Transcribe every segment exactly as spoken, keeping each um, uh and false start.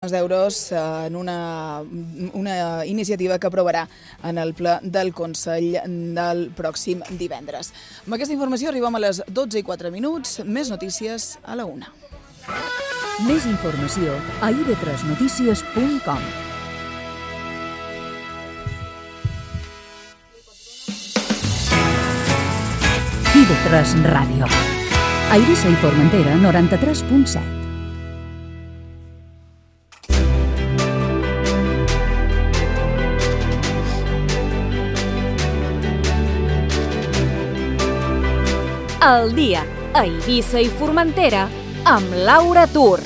d'euros en una, una iniciativa que aprovarà en el ple del Consell del pròxim divendres. Amb aquesta informació arribem a les dotze i quatre minuts. Més notícies a la una. Més informació a i ve tres notícies punt com. i ve tres Ràdio. A Eivissa i Formentera, noranta-tres punt set. El dia a Eivissa i Formentera amb Laura Tur.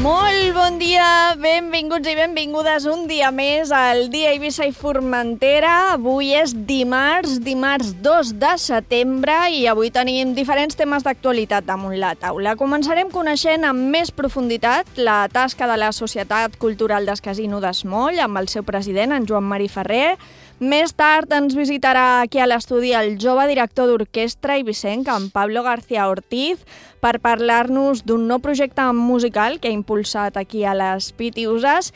Molt bon dia, benvinguts i benvingudes un dia més al dia a Eivissa i Formentera. Avui és dimarts, dimarts dos de setembre i avui tenim diferents temes d'actualitat damunt la taula. Començarem coneixent amb més profunditat la tasca de la Societat Cultural del Casino d'Esmoll amb el seu president, en Joan Marí Ferrer. Més tard ens visitarà aquí a l'estudi el jove director d'orquestra eivissenc, en Pablo García Ortiz, per parlar-nos d'un nou projecte musical que ha impulsat aquí a les Pitiuses.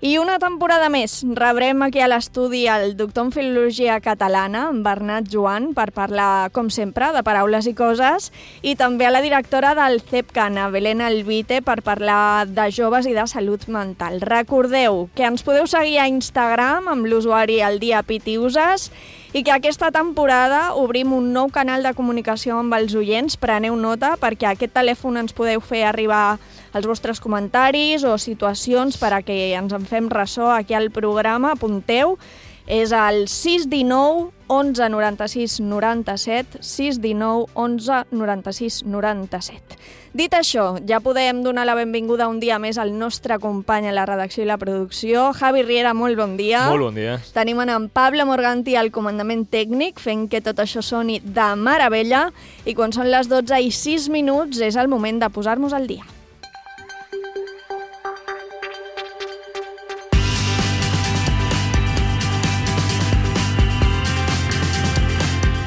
I una temporada més rebrem aquí a l'estudi el doctor en Filologia Catalana, en Bernat Joan, per parlar, com sempre, de paraules i coses, i també a la directora del CEPCAN, Belén Alvite, per parlar de joves i de salut mental. Recordeu que ens podeu seguir a Instagram amb l'usuari El Dia Pitiuses i que aquesta temporada obrim un nou canal de comunicació amb els oients. Preneu nota perquè a aquest telèfon ens podeu fer arribar els vostres comentaris o situacions per a que ens en fem ressò aquí al programa. Apunteu, és el sis un nou onze noranta-sis noranta-set, sis un nou onze noranta-sis noranta-set. Dit això, ja podem donar la benvinguda un dia més al nostre company a la redacció i la producció. Javi Riera, molt bon dia. Molt bon dia. Tenim en Pablo Morganti al comandament tècnic, fent que tot això soni de meravella, i quan són les dotze i sis minuts és el moment de posar-nos al dia.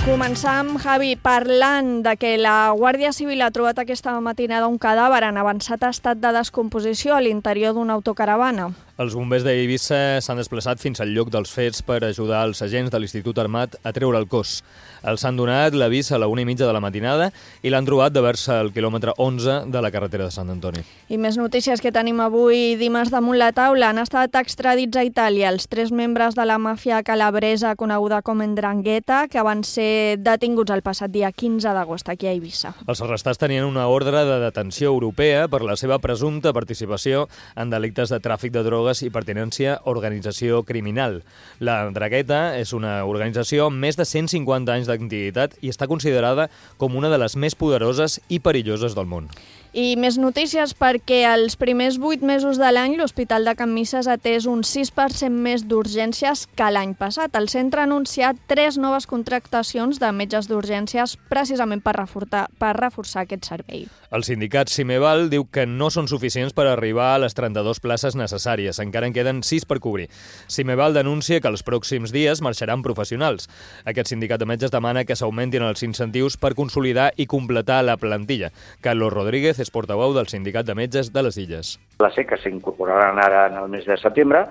Començam, Javi, parlant de que la Guàrdia Civil ha trobat aquesta matinada un cadàver en avançat estat de descomposició a l'interior d'una autocaravana. Els bombers d'Eivissa s'han desplaçat fins al lloc dels fets per ajudar els agents de l'Institut Armat a treure el cos. Els han donat l'avís a la una i mitja de la matinada i l'han trobat de vers al quilòmetre onze de la carretera de Sant Antoni. I més notícies que tenim avui dimarts damunt la taula. Han estat extradits a Itàlia els tres membres de la màfia calabresa coneguda com Ndrangheta, que van ser detinguts el passat dia quinze d'agost aquí a Eivissa. Els arrestats tenien una ordre de detenció europea per la seva presumpta participació en delictes de tràfic de drogues i pertinència a organització criminal. La Ndrangheta és una organització amb més de cent cinquanta anys d'antiguitat i està considerada com una de les més poderoses i perilloses del món. I més notícies perquè els primers vuit mesos de l'any l'Hospital de Can Misses ha atès un sis per cent més d'urgències que l'any passat. El centre ha anunciat tres noves contractacions de metges d'urgències precisament per reforçar, per reforçar aquest servei. El sindicat Cimeval diu que no són suficients per arribar a les trenta-dues places necessàries. Encara en queden sis per cobrir. Cimeval denuncia que els pròxims dies marxaran professionals. Aquest sindicat de metges demana que s'augmentin els incentius per consolidar i completar la plantilla. Carlos Rodríguez és portaveu del Sindicat de Metges de les Illes. La sé que s'incorporaran ara en el mes de setembre,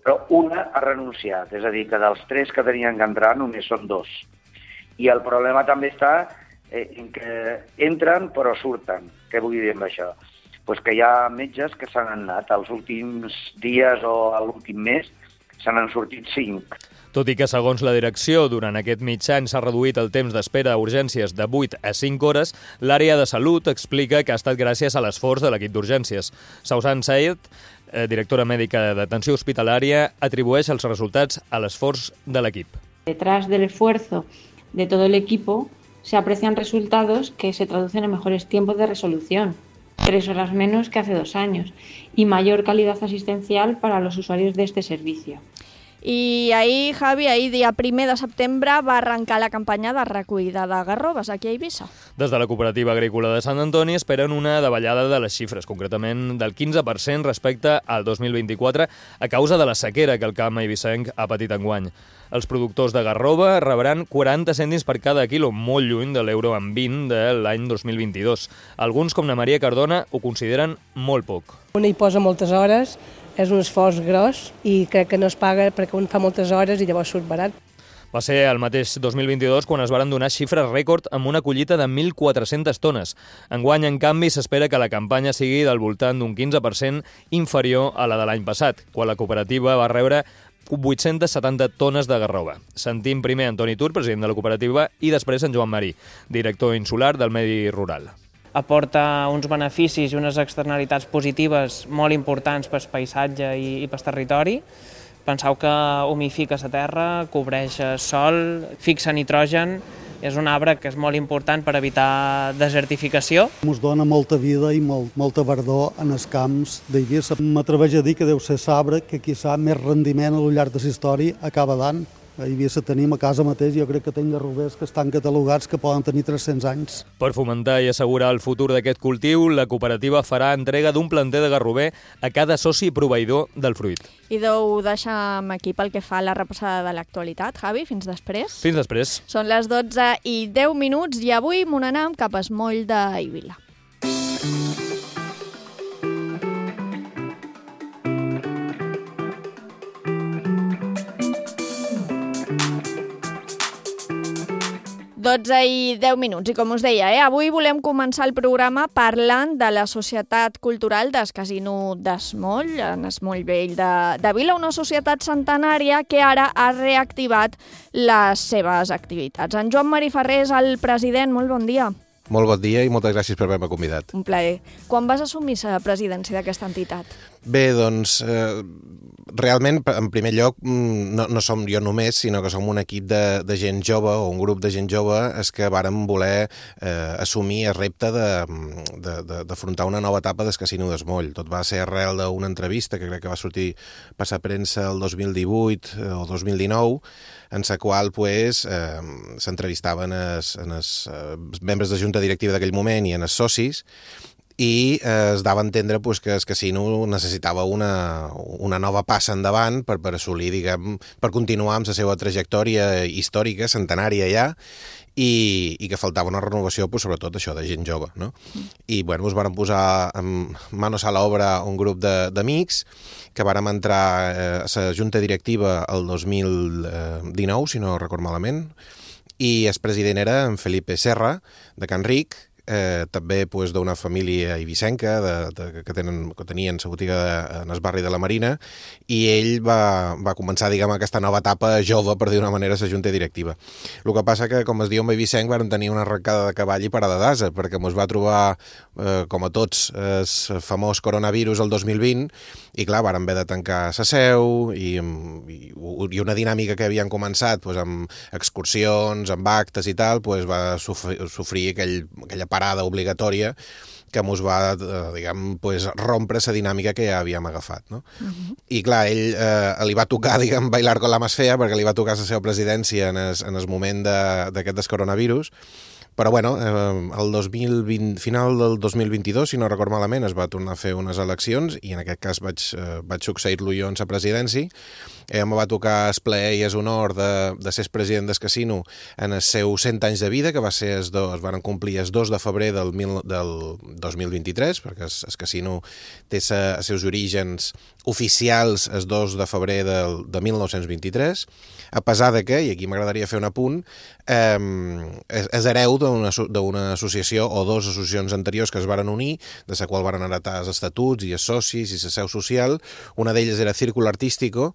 però una ha renunciat, és a dir, que dels tres que tenien que entrar només són dos. I el problema també està eh, en que entren però surten. Què vull dir amb això? Pues que hi ha metges que s'han anat els últims dies o l'últim mes, se n'han sortit cinc. Tot i que, segons la direcció, durant aquest mig any s'ha reduït el temps d'espera a urgències de vuit a cinc hores, l'àrea de salut explica que ha estat gràcies a l'esforç de l'equip d'urgències. Sausan Said, eh, directora mèdica d'atenció hospitalària, atribueix els resultats a l'esforç de l'equip. Detrás del esfuerzo de todo el equipo se aprecian resultados que se traducen en mejores tiempos de resolución, tres horas menos que hace dos años, y mayor calidad asistencial para los usuarios de este servicio. I ahir, Javi, ahir dia primer de setembre va arrencar la campanya de recollida de garroves aquí a Eivissa. Des de la Cooperativa Agrícola de Sant Antoni esperen una davallada de les xifres, concretament del quinze per cent respecte al dos mil vint-i-quatre, a causa de la sequera que el camp eivissenc ha patit enguany. Els productors de garrova rebran quaranta cèntims per cada quilo, molt lluny de l'euro en vint de l'any dos mil vint-i-dos. Alguns, com la Maria Cardona, ho consideren molt poc. Un hi posa moltes hores, és un esforç gros i crec que no es paga perquè un fa moltes hores i llavors surt barat. Va ser el mateix dos mil vint-i-dos quan es varen donar xifres rècord amb una collita de mil quatre-centes tones. Enguany, en canvi, s'espera que la campanya sigui del voltant d'un quinze per cent inferior a la de l'any passat, quan la cooperativa va rebre vuit-centes setanta tones de garrova. Sentim primer Antoni Tur, president de la cooperativa, i després en Joan Marí, director insular del Medi Rural. Aporta uns beneficis i unes externalitats positives molt importants pel paisatge i, i pel territori. Penseu que humifica la terra, cobreix sol, fixa nitrogen. És un arbre que és molt important per evitar desertificació. Ens dona molta vida i molt, molta verdor en els camps d'Eivissa. M'atreveix a dir que deu ser l'arbre que quizà més rendiment a lo llarg de la història acaba dant. A Eivissa tenim a casa mateix, jo crec que tenim garrovers que estan catalogats que poden tenir tres-cents anys. Per fomentar i assegurar el futur d'aquest cultiu, la cooperativa farà entrega d'un planter de garrover a cada soci proveïdor del fruit. I ho deixem aquí pel que fa a la repassada de l'actualitat. Javi, fins després. Fins després. Són les dotze i deu minuts i avui m'ho anem cap al moll d'Eivissa. dotze i deu minuts, i com us deia, eh, avui volem començar el programa parlant de la Societat Cultural del Casino d'Esmoll, en Esmoll Vell de, de Vila, una societat centenària que ara ha reactivat les seves activitats. En Joan Marí Ferrer és el president, molt bon dia. Molt bon dia i moltes gràcies per haver-me convidat. Un plaer. Quan vas assumir la presidència d'aquesta entitat? Bé, doncs, eh, realment, en primer lloc, no, no som jo només, sinó que som un equip de, de gent jove, o un grup de gent jove, és que vàrem voler eh, assumir el repte d'afrontar una nova etapa del Casino d'Esmoll. Tot va ser arrel d'una entrevista que crec que va sortir per la premsa el dos mil divuit o dos mil dinou, en la qual pues, eh, s'entrevistaven els, els eh, membres de junta directiva d'aquell moment i en els socis, i eh, es dava a entendre pues, que el casino necessitava una, una nova passa endavant per, per assolir, diguem, per continuar amb la seva trajectòria històrica, centenària ja, i, i que faltava una renovació, pues, sobretot això, de gent jove, no? I bueno, ens vàrem posar en manos a l'obra un grup d'amics que vàrem entrar eh, a la junta directiva el dos mil dinou, si no record malament, i el president era en Felipe Serra, de Can Ric, Eh, també pues, d'una família eivissenca de, de, que, tenen, que tenien la botiga de, en el barri de la Marina, i ell va, va començar diguem, aquesta nova etapa jove, per dir d'una manera, la junta directiva. El que passa que, com es diu en eivissenc, vam tenir una arrencada de cavall i parada d'asa, perquè ens va trobar, eh, com a tots, el famós coronavirus el dos mil vint, i clar, vàrem haver de tancar la seu, i, i, i una dinàmica que havien començat pues, amb excursions, amb actes i tal, pues, va sofrir, sofrir aquell, aquella parada obligatòria que ens va, diguem, pues, rompre la dinàmica que ja havíem agafat, no? Uh-huh. I clar, ell eh, li va tocar, diguem, bailar con la más fea, perquè li va tocar la seva presidència en el, en el moment d'aquest de, coronavirus. Però, bueno, eh, el dos mil vint, final del dos mil vint-i-dos, si no record malament, es va tornar a fer unes eleccions i en aquest cas vaig, eh, vaig succeir-lo jo en la presidència. Eh, em va tocar el plaer i el honor de, de ser president del casino en els seus cent anys de vida, que va ser els dos, es van complir el dos de febrer del, mil, del dos mil vint-i-tres, perquè el, el casino té sa, els seus orígens oficials el dos de febrer del, de mil nou-cents vint-i-tres, a pesar de que, i aquí m'agradaria fer un apunt, eh, és, és hereu d'una associació o dues associacions anteriors que es varen unir, de la qual varen heretar els estatuts i els socis i la seu social. Una d'elles era Círculo Artístico,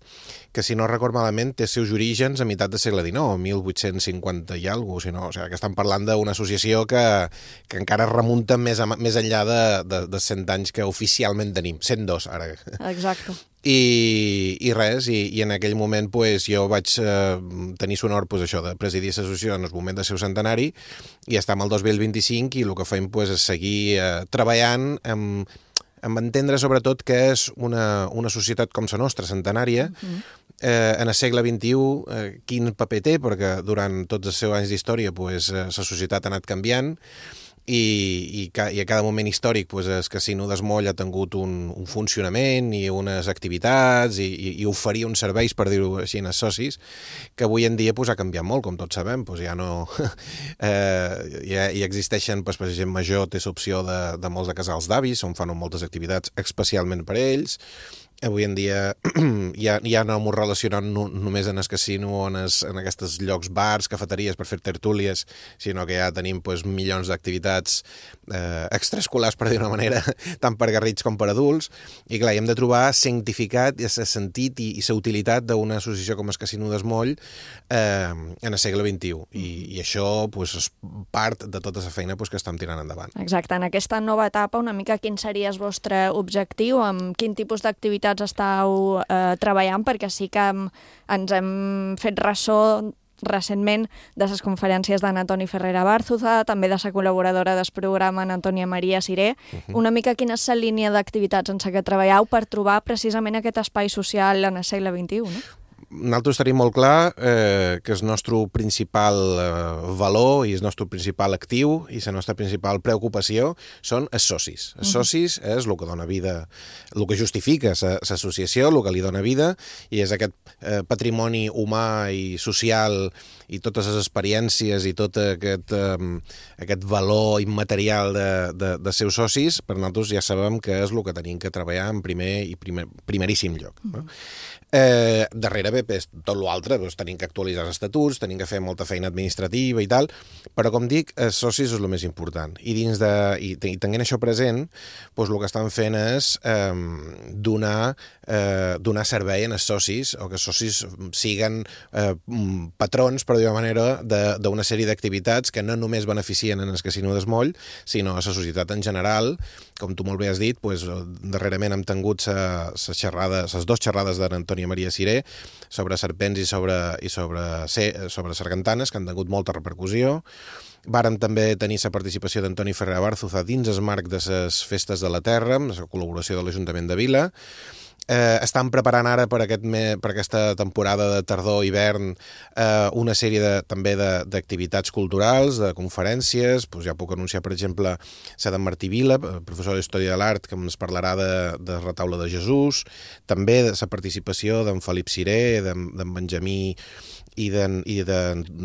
que si no record malament té els seus orígens a meitat del segle dinou, mil vuit-cents cinquanta i alguna cosa, si no, o sigui, que estan parlant d'una associació que, que encara remunta més, a, més enllà de, de, de cent anys que oficialment tenim, cent dos ara. Exacte. I, i res, i, i en aquell moment pues, jo vaig eh, tenir l'honor pues, això de presidir l'associació en el moment del seu centenari, i estem al dos mil vint-i-cinc i el que fem pues, és seguir eh, treballant amb amb entendre sobretot que és una, una societat com la nostra, centenària, uh-huh. eh, en el segle vint-i-u, eh, quin paper té, perquè durant tots els seus anys d'història pues, eh, la societat ha anat canviant, i, i, ca, i a cada moment històric pues, el Casino d'Esmoll ha tingut un, un funcionament i unes activitats i, i, i oferia uns serveis, per dir-ho així, als socis, que avui en dia pues, ha canviat molt, com tots sabem. Pues, ja no... eh, ja, ja existeixen, pues, per exemple, Major té l'opció de, de molts de casals d'avis, on fan moltes activitats especialment per a ells. Avui en dia ja, ja no m'ho relacionant no, només en el casino o en, es, en aquests llocs, bars, cafeteries per fer tertúlies, sinó que ja tenim pues, milions d'activitats eh, extraescolars, per dir una manera, tant per garrits com per adults, i clar, hem de trobar cientificat i el sentit i, i la utilitat d'una associació com el Casino d'Esmoll eh, en el segle vint-i-u, i, i això pues, és part de tota la feina pues, que estem tirant endavant. Exacte, en aquesta nova etapa, una mica quin seria el vostre objectiu, amb quin tipus d'activitats estàu eh, treballant, perquè sí que hem, ens hem fet ressò recentment de les conferències d'en Antoni Ferrera Bárzuza, també de la col·laboradora del programa, en Antònia Maria Siré. Uh-huh. Una mica quina és la línia d'activitats en què treballeu per trobar precisament aquest espai social en el segle vint-i-u, no? Nosaltres tenim molt clar eh, que el nostre principal eh, valor i el nostre principal actiu i la nostra principal preocupació són els socis. Els socis és el que dona vida, el que justifica l'associació, el que li dona vida, i és aquest eh, patrimoni humà i social i totes les experiències i tot aquest, eh, aquest valor immaterial de, de, de seus socis, per nosaltres ja sabem que és el que tenim que treballar en primer i primer, primeríssim lloc. No? Eh, darrere bé, tot l'altre, doncs, tenim que actualitzar els estatuts, tenim que fer molta feina administrativa i tal, però com dic, els socis és el més important. I dins de, i, i tenint això present, doncs, el que estan fent és eh, donar, eh, donar servei als socis, o que els socis siguen eh, patrons, per dir-ho manera, d'una sèrie d'activitats que no només beneficien en el Casino d'Esmoll, sinó a la societat en general. Com tu molt bé has dit, doncs, darrerament hem tingut les xerrades, les dues xerrades d'en Antònia Maria Siré sobre serpents i sobre, i sobre, sobre sargantanes, que han tingut molta repercussió. Vàrem també tenir la participació d'Antoni Ferrera Bárzuza dins el marc de les Festes de la Terra, amb la col·laboració de l'Ajuntament de Vila. Eh, estan preparant ara per, aquest me, per aquesta temporada de tardor-hivern eh, una sèrie de, també d'activitats culturals, de conferències. Pues ja puc anunciar, per exemple, la d'en Martí Vila, professor d'Història de l'Art, que ens parlarà de, de Retaule de Jesús, també de la participació d'en Felip Siré, d'en Benjamí i d'en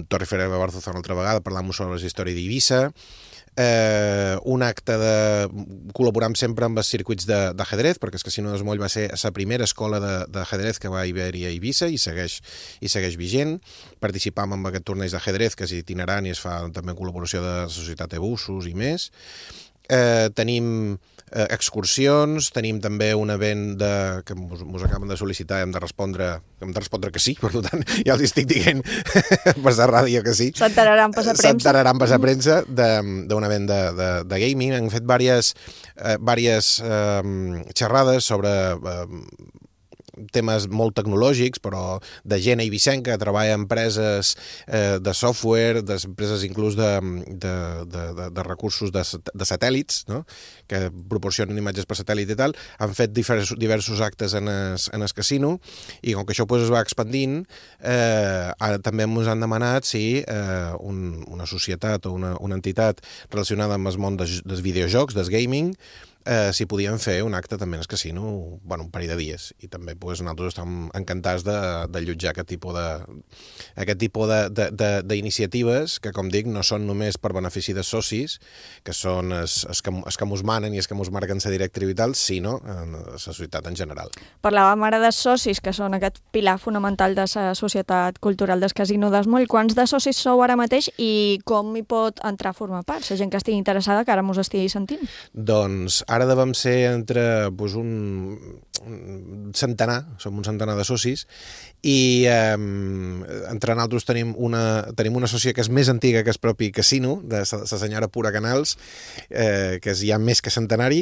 Torre Ferrera Bárzuza una altra vegada, parlant sobre la història d'Eivissa. Eh, un acte de... col·laborant sempre amb els circuits d'ajedrez, perquè el Casino d'Esmoll va ser la primera escola d'ajedrez que va haver-hi a Eivissa i segueix, i segueix vigent. Participam en aquest torneig d'ajedrez que és itinerant i es fa també en col·laboració de la Societat Ebussos i més. Eh, tenim eh, excursions, tenim també un event de, que ens acaben de sol·licitar, hem de respondre hem de respondre que sí, per tant ja els estic dient per la ràdio que sí. S'enteraran per la premsa. S'enteraran per la premsa d'un event de, de, de gaming. Hem fet diverses, eh, diverses eh, xerrades sobre eh, temes molt tecnològics, però de gent eivissenca que treballa en empreses eh, de software, d'empreses inclús de, de, de, de, de recursos de, de satèl·lits, no? Que proporcionen imatges per satèl·lit i tal. Han fet diversos, diversos actes en el, en el casino, i com que això pues, es va expandint, eh, ara també ens han demanat si eh, un, una societat o una, una entitat relacionada amb el món dels, dels videojocs, del gaming, Eh, si podien fer un acte també en el casino, bueno, un parell de dies, i també pues, nosaltres estem encantats de, de allotjar aquest tipus de aquest tipus d'iniciatives que, com dic, no són només per benefici dels socis, que són els, els, que, els que mos manen i els que mos marquen la directriu i tal, sinó en la societat en general. Parlàvem ara dels socis, que són aquest pilar fonamental de la societat cultural del Casino d'Esmoll. Quants de socis sou ara mateix i com hi pot entrar a formar part? La gent que estigui interessada, que ara mos estigui sentint. Doncs ara devem ser entre pues, un, un centenar, som un centenar de socis, i eh, entre nosaltres tenim una, tenim una socia que és més antiga que el propi casino, de la senyora Pura Canals, eh, que és ja més que centenari,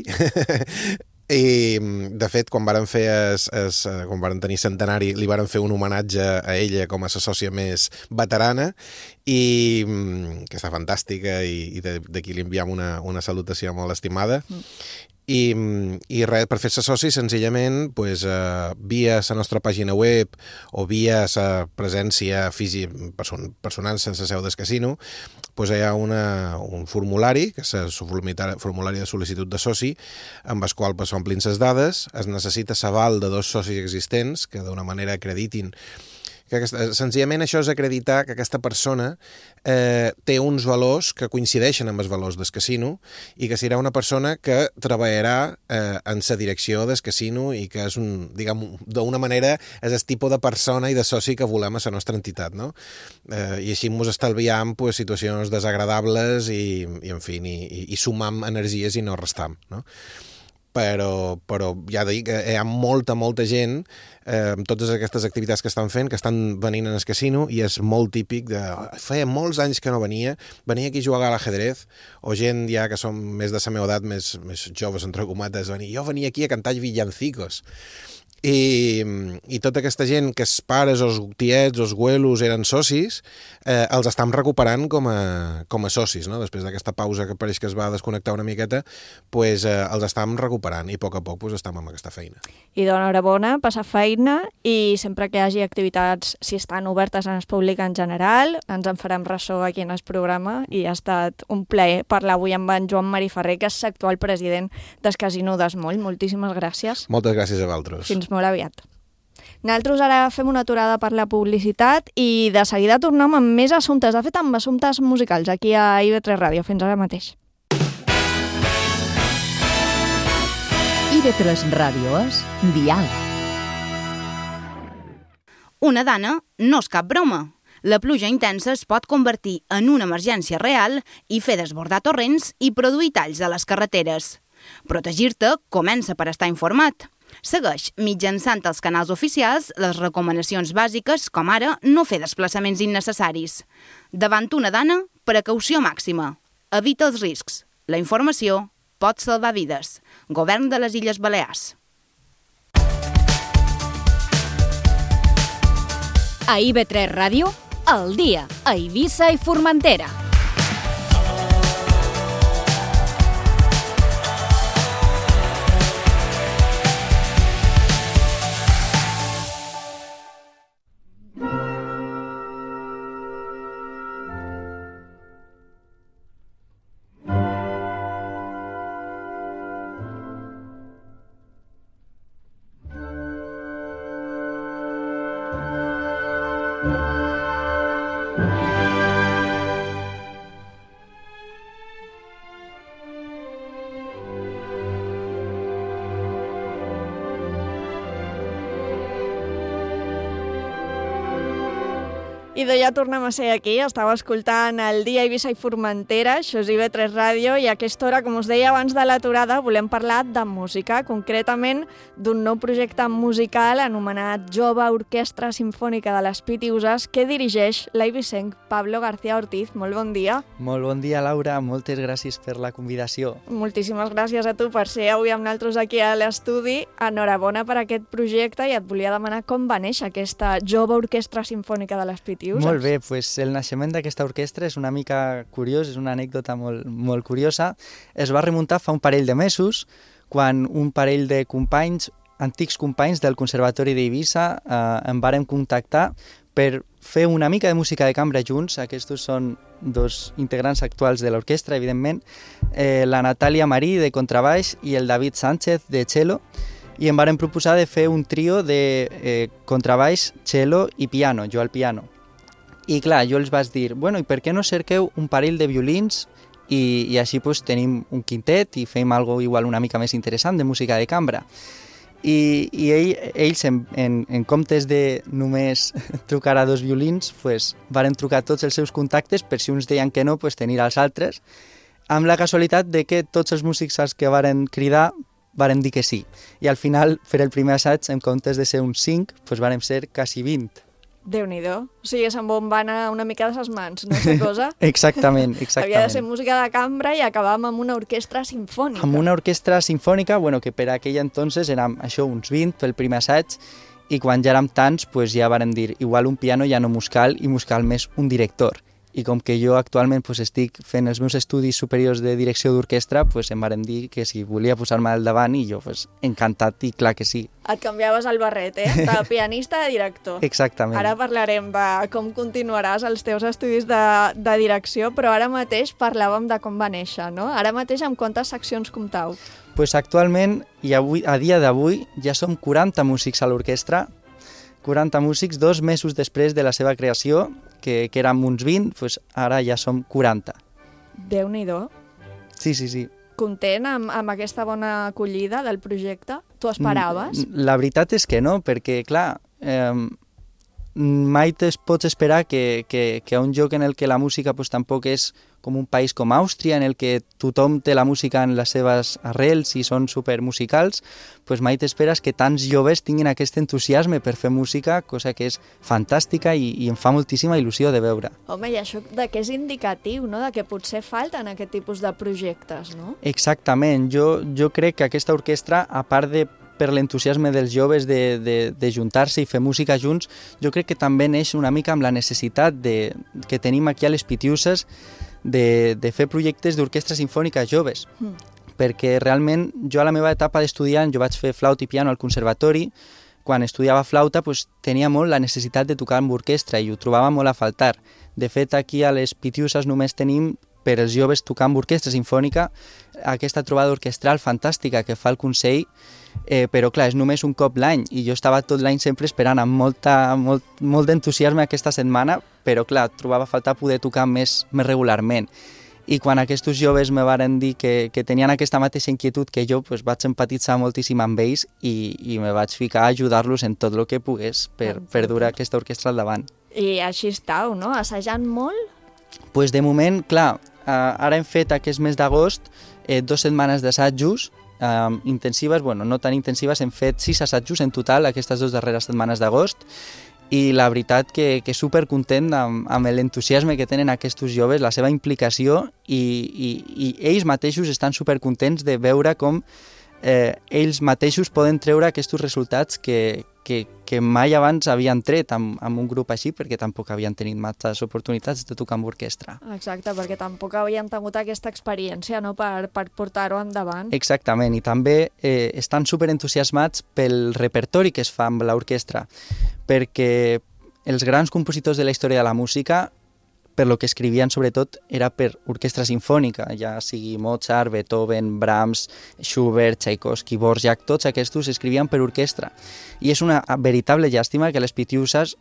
i de fet quan varen fer es, es, quan varen tenir centenari li varen fer un homenatge a ella com a la sòcia més veterana, i que està fantàstica, i, i d'aquí li enviam una, una salutació molt estimada. Mm. I, i res, per fer-se soci, senzillament, pues, eh, via la nostra pàgina web o via la presència física person, personal sense seu del casino, pues, hi ha una, un formulari, que és el formulari de sol·licitud de soci, amb el qual pues, s'omplin les dades, es necessita l'aval de dos socis existents que d'una manera acreditin que aquesta, senzillament això és acreditar que aquesta persona eh, té uns valors que coincideixen amb els valors del casino i que serà una persona que treballarà eh, en la direcció del casino i que és un, diguem, d'una manera és el tipus de persona i de soci que volem a la nostra entitat, no? Eh, I així ens estalviam pues, situacions desagradables i, i en fi, i, i sumam energies i no restam, no? Però, però ja dic que hi ha molta, molta gent eh, amb totes aquestes activitats que estan fent, que estan venint en el casino i és molt típic de... Feia molts anys que no venia, venia aquí a jugar a l'ajedrez, o gent ja que són més de la meva edat, més, més joves, entre comates, venia, jo venia aquí a cantar villancicos. I, i tota aquesta gent que els pares, els tiets, els güelos eren socis, eh, els estem recuperant com a, com a socis, no? Després d'aquesta pausa que pareix que es va desconnectar una miqueta, pues, eh, els estem recuperant i a poc a poc pues, estem amb aquesta feina. I d'enhorabona, passar feina i sempre que hi hagi activitats, si estan obertes en el públic en general, ens en farem ressò aquí en el programa i ha estat un plaer parlar avui amb en Joan Mariferrer, que és l'actual president del Casino d'Esmoll. Moltíssimes gràcies. Moltes gràcies a vosaltres. Fins molt aviat. Nosaltres ara fem una aturada per la publicitat i de seguida tornem amb més assumptes, de fet amb assumptes musicals aquí a I V tres Ràdio. Fins ara mateix. I V tres Ràdio és Dial. Una dana no és cap broma. La pluja intensa es pot convertir en una emergència real i fer desbordar torrents i produir talls a les carreteres. Protegir-te comença per estar informat. Segueix, mitjançant els canals oficials, les recomanacions bàsiques, com ara no fer desplaçaments innecessaris. Davant una dana, precaució màxima. Evita els riscs. La informació pot salvar vides. Govern de les Illes Balears. A I V tres Ràdio, al dia, a Eivissa i Formentera. I de ja tornem a ser aquí, estava escoltant el dia Eivissa i Formentera, això és I V tres Ràdio, i a aquesta hora, com us deia abans de l'aturada, volem parlar de música, concretament d'un nou projecte musical anomenat Jove Orquestra Simfònica de les Pitiüses, que dirigeix l'eivissenc Pablo García Ortiz. Molt bon dia. Molt bon dia, Laura, moltes gràcies per la convidació. Moltíssimes gràcies a tu per ser avui amb nosaltres aquí a l'estudi. Enhorabona per aquest projecte i et volia demanar com va néixer aquesta Jove Orquestra Simfònica de les Pitiüses. Molt bé, pues el naixement d'aquesta orquestra és una mica curiós, és una anècdota molt, molt curiosa. Es va remuntar fa un parell de mesos, quan un parell de companys, antics companys del Conservatori d'Eivissa, eh, em varen contactar per fer una mica de música de cambra junts. Aquests són dos integrants actuals de l'orquestra, evidentment, eh, la Natàlia Marí, de contrabaix, i el David Sánchez, de cello, i em varen proposar de fer un trio de eh, contrabaix, cello i piano, jo al piano. I clar, jo els vaig dir, bueno, i per què no cerqueu un parell de violins i, i així pues, tenim un quintet i fem algo igual una mica més interessant de música de cambra. I, i ell, ells, en, en, en comptes de només trucar a dos violins, pues, varen trucar tots els seus contactes per si uns deien que no, pues, tenir els altres, amb la casualitat de que tots els músics als que varen cridar varen dir que sí. I al final, per el primer assaig, en comptes de ser uns cinc, pues, varen ser quasi vint. Déu-n'hi-do. O sigui, se'n va anar una mica de ses mans, no sé cosa? Exactament, exactament. Havia de ser música de cambra i acabàvem amb una orquestra simfònica. Amb una orquestra simfònica, bueno, que per aquell entonces érem això, uns vint pel primer assaig, i quan ja érem tants, pues ja vàrem dir, igual un piano ja no mos cal i mos cal més un director. i com que jo actualment pues, estic fent els meus estudis superiors de direcció d'orquestra, pues, em varen dir que si volia posar-me al davant i jo pues, encantat i clar que sí. Et canviaves el barret, eh? De pianista a director. Exactament. Ara parlarem de com continuaràs els teus estudis de, de direcció, però ara mateix parlàvem de com va néixer, no? Ara mateix amb quantes seccions comptau? Pues actualment, i avui, a dia d'avui, ja som quaranta músics a l'orquestra, quaranta músics, dos mesos després de la seva creació, que, que érem uns vint, pues ara ja som quaranta. Déu-n'hi-do. Sí, sí, sí. Content amb, amb aquesta bona acollida del projecte? Tu esperaves? La veritat és que no, perquè, clar, eh, mai te pots esperar que, que, que a un lloc en el que la música pues, tampoc és com un país com Àustria, en el que tothom té la música en les seves arrels i són supermusicals, pues mai t'esperes que tants joves tinguin aquest entusiasme per fer música, cosa que és fantàstica i, i em fa moltíssima il·lusió de veure. Home, i això de que és indicatiu, no?, de que potser falten aquest tipus de projectes, no? Exactament. Jo, jo crec que aquesta orquestra, a part de per l'entusiasme dels joves de, de, de juntar-se i fer música junts, jo crec que també neix una mica amb la necessitat de, que tenim aquí a les Pitiuses de, de fer projectes d'orquestra sinfònica joves. Mm. Perquè realment jo a la meva etapa d'estudiant, jo vaig fer flauta i piano al conservatori, quan estudiava flauta pues, tenia molt la necessitat de tocar amb orquestra i ho trobava molt a faltar. De fet, aquí a les Pitiuses només tenim per als joves tocar amb orquestra sinfònica aquesta trobada orquestral fantàstica que fa el Consell, eh, però clar, és només un cop l'any i jo estava tot l'any sempre esperant amb molta, molt, molt d'entusiasme aquesta setmana, però clar, trobava a faltar poder tocar més, més regularment. I quan aquests joves me varen dir que, que tenien aquesta mateixa inquietud que jo, pues vaig empatitzar moltíssim amb ells i, i me vaig ficar a ajudar-los en tot el que pogués per, per dur aquesta orquestra al davant. I així estàu, no? Assajant molt? Pues de moment, clar, Uh, ara hem fet aquest mes d'agost eh, dues setmanes d'assajos uh, intensives, bueno, no tan intensives, hem fet sis assajos en total aquestes dues darreres setmanes d'agost i la veritat que, que supercontent amb, amb l'entusiasme que tenen aquests joves, la seva implicació i, i, i ells mateixos estan supercontents de veure com eh, ells mateixos poden treure aquests resultats que, que, que mai abans havien tret amb, amb un grup així, perquè tampoc havien tenit masses oportunitats de tocar amb orquestra. Exacte, perquè tampoc havien tingut aquesta experiència, no?, per, per portar-ho endavant. Exactament, i també eh, estan superentusiasmats pel repertori que es fa amb l'orquestra, perquè els grans compositors de la història de la música, per lo que escrivien sobretot era per orquestra sinfònica, ja sigui Mozart, Beethoven, Brahms, Schubert, Tchaikovsky, Dvořák, tots aquests escrivien per orquestra. I és una veritable llàstima que a les Pitiuses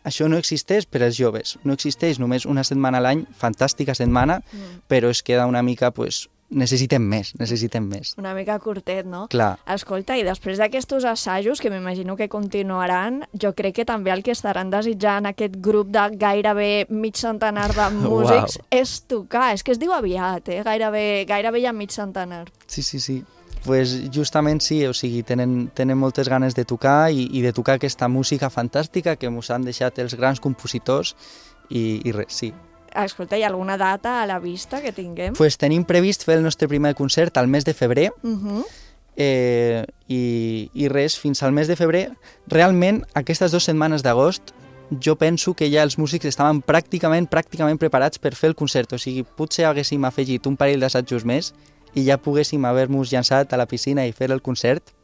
això no existeix per als joves. No existeix només una setmana a l'any, fantàstica setmana, mm. però es queda una mica, pues, necessitem més, necessitem més. Una mica curtet, no? Clar. Escolta, i després d'aquests assajos, que m'imagino que continuaran, jo crec que també el que estaran desitjant aquest grup de gairebé mig centenar de músics wow. és tocar. És que es diu aviat, eh? Gairebé, gairebé hi ha mig centenar. Sí, sí, sí. Pues justament sí, o sigui, tenen, tenen moltes ganes de tocar i, i de tocar aquesta música fantàstica que ens han deixat els grans compositors i, i res, sí. Escolta, hi ha alguna data a la vista que tinguem? Pues tenim previst fer el nostre primer concert al mes de febrer uh-huh. eh, i, i res, fins al mes de febrer. Realment, aquestes dues setmanes d'agost jo penso que ja els músics estaven pràcticament pràcticament preparats per fer el concert. O sigui, potser haguéssim afegit un parell d'assajos més i ja poguéssim haver-nos llançat a la piscina i fer el concert.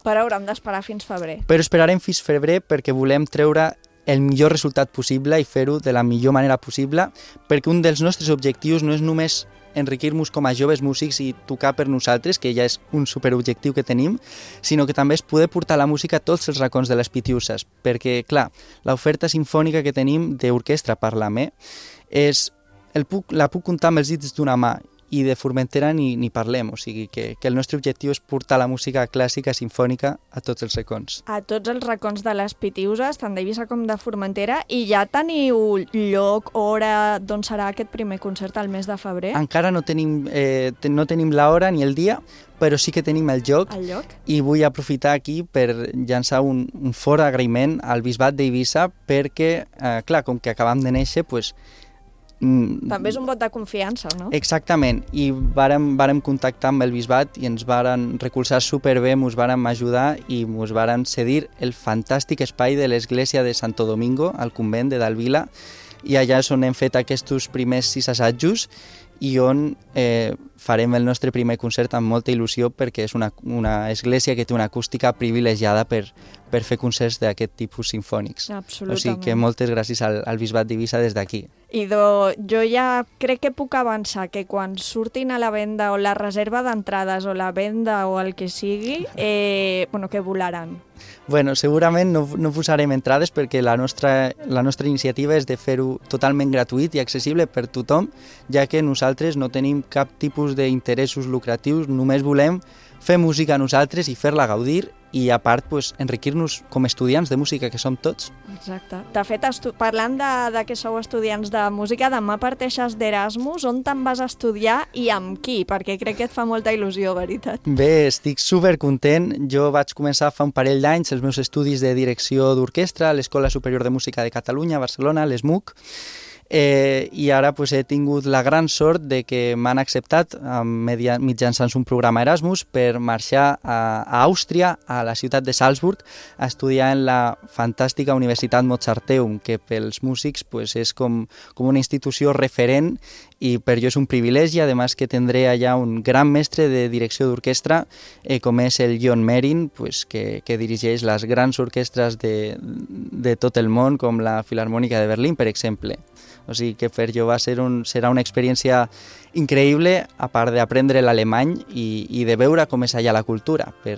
Però haurem d'esperar fins febrer. Però esperarem fins febrer perquè volem treure el millor resultat possible i fer-ho de la millor manera possible, perquè un dels nostres objectius no és només enriquir-nos com a joves músics i tocar per nosaltres, que ja és un superobjectiu que tenim, sinó que també és poder portar la música a tots els racons de les Pitiuses, perquè, clar, l'oferta sinfònica que tenim d'orquestra Parlar-me és, el puc, la puc comptar amb els dits d'una mà, i de Formentera ni, ni parlem, o sigui que, que el nostre objectiu és portar la música clàssica sinfònica a tots els racons. A tots els racons de les Pitiuses, tant d'Eivissa com de Formentera, i ja teniu lloc, hora, d'on serà aquest primer concert al mes de febrer? Encara no tenim, eh, no tenim l'hora ni el dia, però sí que tenim el lloc, el lloc? I vull aprofitar aquí per llançar un, un fort agraïment al Bisbat d'Eivissa perquè, eh, clar, com que acabam de néixer, pues, també és un vot de confiança, no? Exactament, i vàrem, vàrem contactar amb el Bisbat i ens varen recolzar superbé, ens varen ajudar i ens varen cedir el fantàstic espai de l'església de Santo Domingo, al convent de Dalvila, i allà és on hem fet aquests primers sis assajos i on eh, farem el nostre primer concert amb molta il·lusió perquè és una, una església que té una acústica privilegiada per, per fer concerts d'aquest tipus sinfònics. Absolutament. O sigui que moltes gràcies al, al Bisbat d'Eivissa des d'aquí. Idò, jo ja crec que puc avançar que quan surtin a la venda o la reserva d'entrades o la venda o el que sigui, eh, bueno, que volaran. Bueno, segurament no, no posarem entrades perquè la nostra, la nostra iniciativa és de fer-ho totalment gratuït i accessible per tothom, ja que nosaltres no tenim cap tipus d'interessos lucratius, només volem fer música nosaltres i fer-la gaudir i a part pues, enriquir-nos com a estudiants de música que som tots. Exacte. De fet, parlant de, de que sou estudiants de música, demà parteixes d'Erasmus, on te'n vas a estudiar i amb qui? Perquè crec que et fa molta il·lusió, veritat. Bé, estic supercontent. Jo vaig començar fa un parell d'anys els meus estudis de direcció d'orquestra a l'Escola Superior de Música de Catalunya, a Barcelona, l'E S M U C, Eh, i ara pues, he tingut la gran sort de que m'han acceptat eh, media, mitjançant un programa Erasmus per marxar a, a Àustria, a la ciutat de Salzburg, a estudiar en la fantàstica Universitat Mozarteum, que pels músics pues, és com, com una institució referent i per jo és un privilegi, a més que tindré allà un gran mestre de direcció d'orquestra eh, com és el John Merin, pues, que, que dirigeix les grans orquestres de, de tot el món, com la Filarmònica de Berlín, per exemple. O sigui que per jo va ser un, serà una experiència increïble, a part d'aprendre l'alemany i, i de veure com és allà la cultura, per,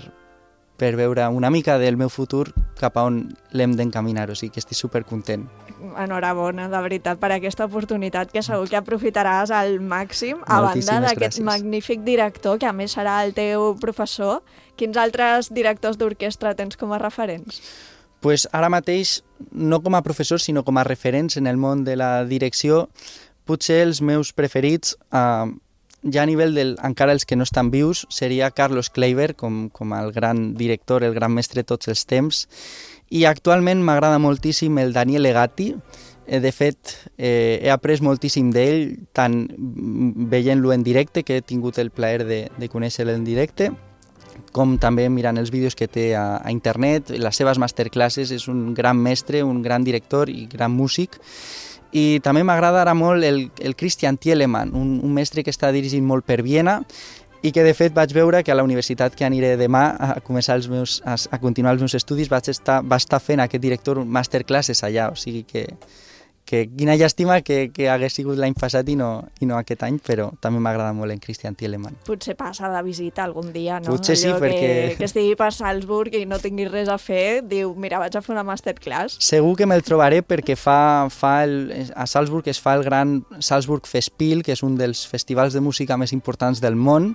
per veure una mica del meu futur cap a on l'hem d'encaminar. O sigui que estic supercontent. Enhorabona, de veritat, per aquesta oportunitat que segur que aprofitaràs al màxim, a banda d'aquest magnífic director, que a més serà el teu professor. Quins altres directors d'orquestra tens com a referents? Pues ara mateix, no com a professor, sinó com a referents en el món de la direcció, potser els meus preferits, eh, ja a nivell del, encara els que no estan vius, seria Carlos Kleiber, com, com el gran director, el gran mestre de tots els temps, i actualment m'agrada moltíssim el Daniel Legatti. Eh, de fet, eh, he après moltíssim d'ell, tant veient-lo en directe, que he tingut el plaer de, de conèixer-lo en directe, com també mirant els vídeos que té a, a internet, les seves masterclasses. És un gran mestre, un gran director i gran músic. I també m'agrada ara molt el, el Christian Thielemann, un, un mestre que està dirigint molt per Viena i que de fet vaig veure que a la universitat que aniré demà a començar els meus, a, a continuar els meus estudis vaig estar, va estar fent aquest director masterclasses allà, o sigui que que quina llàstima que, que hagués sigut l'any passat i no, i no aquest any, però també m'agrada molt en Christian Thielemann. Potser passa de visita algun dia, no? Potser sí, allò perquè... Que, que estigui per Salzburg i no tinguis res a fer, diu, mira, vaig a fer una masterclass. Segur que me'l trobaré perquè fa, fa el, a Salzburg es fa el gran Salzburg Festspiel, que és un dels festivals de música més importants del món,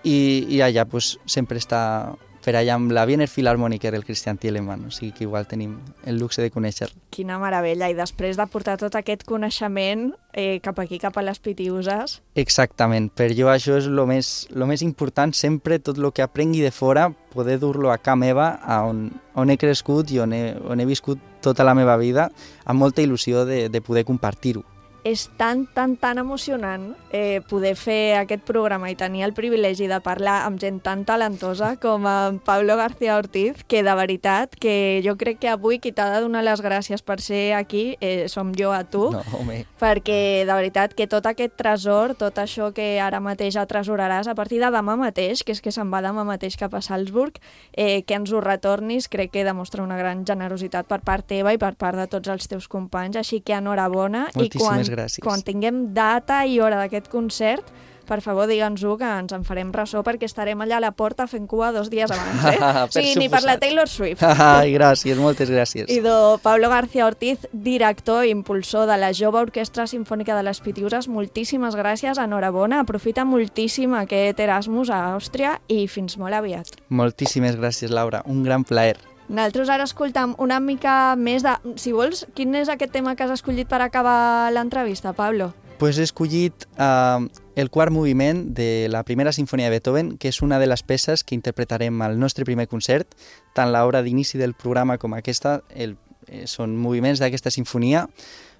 i, i allà pues, sempre està per allà amb la Wiener Philharmoniker, el Christian Thielemann, o sigui que igual tenim el luxe de conèixer. Quina meravella, i després de portar tot aquest coneixement eh, cap aquí, cap a les Pitiüses. Exactament, per jo això és el més, lo més important, sempre tot el que aprengui de fora, poder dur-lo a casa meva, a on, on he crescut i on he, on he viscut tota la meva vida, amb molta il·lusió de, de poder compartir-ho. És tan, tan, tan emocionant eh, poder fer aquest programa i tenir el privilegi de parlar amb gent tan talentosa com en Pablo García Ortiz, que de veritat que jo crec que avui qui t'ha de donar les gràcies per ser aquí eh, som jo a tu, no, home. Perquè de veritat que tot aquest tresor, tot això que ara mateix atresoraràs a partir de demà mateix, que és que se'n va demà mateix cap a Salzburg, eh, que ens ho retornis, crec que demostra una gran generositat per part teva i per part de tots els teus companys, així que enhorabona. Moltíssimes i quan gràcies. Quan tinguem data i hora d'aquest concert, per favor, digue'ns-ho, que ens en farem ressò, perquè estarem allà a la porta fent cua dos dies abans, eh? O sigui, ni per la Taylor Swift. Ai, gràcies, moltes gràcies. I de Pablo García Ortiz, director i impulsor de la Jove Orquestra Simfònica de les Pitiüses, moltíssimes gràcies, enhorabona, aprofita moltíssim aquest Erasmus a Àustria i fins molt aviat. Moltíssimes gràcies, Laura, un gran plaer. Nosaltres ara escoltam una mica més de... Si vols, quin és aquest tema que has escollit per acabar l'entrevista, Pablo? Pues he escollit uh, el quart moviment de la primera sinfonia de Beethoven, que és una de les peces que interpretarem al nostre primer concert. Tant l'hora d'inici del programa com aquesta el, eh, són moviments d'aquesta sinfonia.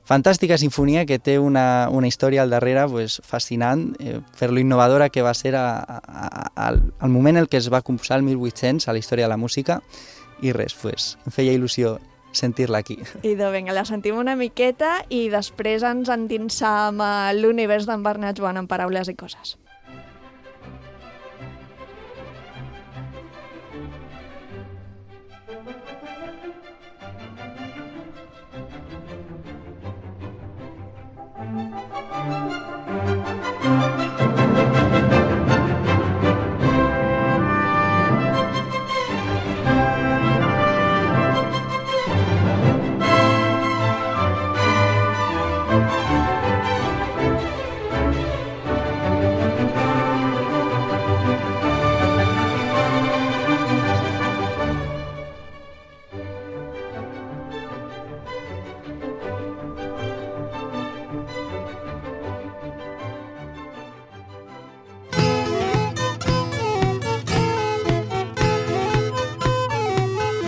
Fantàstica sinfonia que té una, una història al darrere pues, fascinant eh, per lo innovadora que va ser a, a, a, al, al moment en què es va composar el mil vuit-cents a la història de la música. I res, pues, em feia il·lusió sentir-la aquí. Idò, vinga, la sentim una miqueta i després ens endinsam a l'univers d'en Bernat Joan en paraules i coses.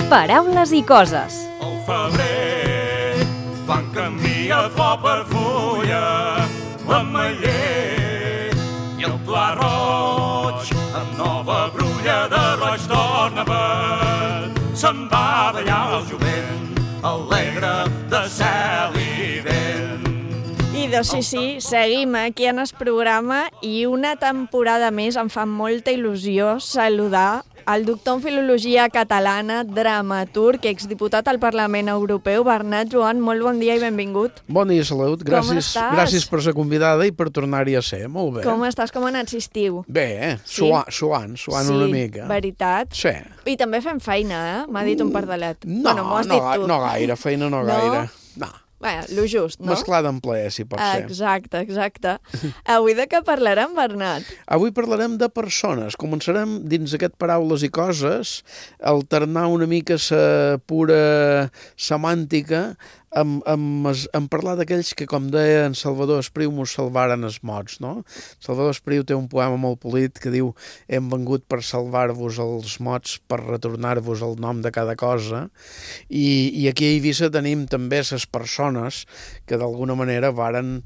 Paraules i coses. Al febrer, quan canvia flor per fulla, l'ametller i el pla roig, amb nova brulla de roig torna per. Se'n va ballar el jovent, alegre de cel i vent. Idò, sí, sí, seguim aquí en el programa i una temporada més em fa molta il·lusió saludar el doctor en Filologia Catalana, dramaturg, exdiputat al Parlament Europeu, Bernat Joan, molt bon dia i benvingut. Bon dia, salut. Gràcies, gràcies per ser convidada i per tornar-hi a ser. Molt bé. Com estàs? Com ha anat l'estiu? Bé, eh? Sí? Suant, suant, suant sí, una mica. Sí, veritat. Sí. I també fem feina, eh? M'ha dit un pardalet. No, bueno, m'ho has no, dit tu. no gaire, feina no, no? gaire. No. Bé, lo just, no? Mesclar d'en plaer, si pot ser. Exacte, exacte. Avui de què parlarem, Bernat? Avui parlarem de persones. Començarem dins aquest paraules i coses, alternar una mica la pura semàntica amb, amb, amb parlar d'aquells que, com deia en Salvador Espriu, mos salvaren els mots, no? Salvador Espriu té un poema molt polit que diu «Hem vengut per salvar-vos els mots, per retornar-vos el nom de cada cosa», i, i aquí a Eivissa tenim també les persones que d'alguna manera varen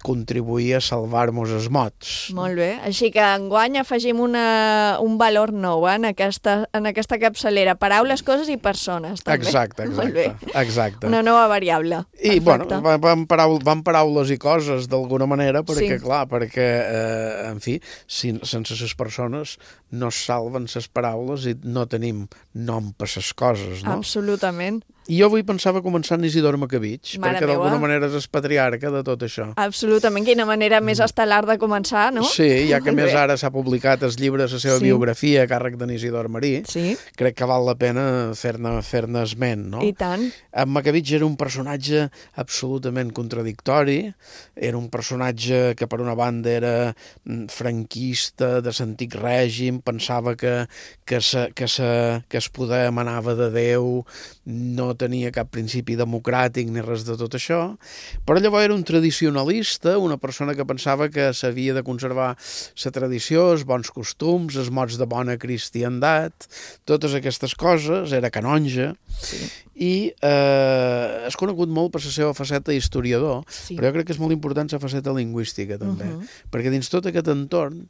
contribuir a salvar-nos els mots. Molt bé, així que enguany afegim una, un valor nou eh, en, aquesta, en aquesta capçalera, paraules, coses i persones, també. Exacte, exacte. exacte. Una nova variable. I, bueno, van, paraul van paraules i coses, d'alguna manera, perquè, sí. clar, perquè, eh, en fi, si, sense les persones no es salven les paraules i no tenim nom per les coses, no? Absolutament. I jo avui pensava començar en Isidor Macabich, Mare perquè d'alguna meua. manera és el patriarca de tot això. Absolutament, quina manera més estel·lar de començar, no? Sí, ja que més ara s'ha publicat el llibre, la seva Sí. biografia a càrrec d'en Isidor Marí, sí. crec que val la pena fer-ne fer-ne esment, no? I tant. En Macabich era un personatge absolutament contradictori, era un personatge que per una banda era franquista, de l'antic règim, pensava que, que, sa, que, sa, que es poder emanava de Déu, no tenia cap principi democràtic ni res de tot això, però llavors era un tradicionalista, una persona que pensava que s'havia de conservar la tradició, els bons costums, els mots de bona cristiandat, totes aquestes coses, era canonge, sí. i eh, és conegut molt per la seva faceta historiador, sí. però jo crec que és molt important la faceta lingüística també, uh -huh. perquè dins tot aquest entorn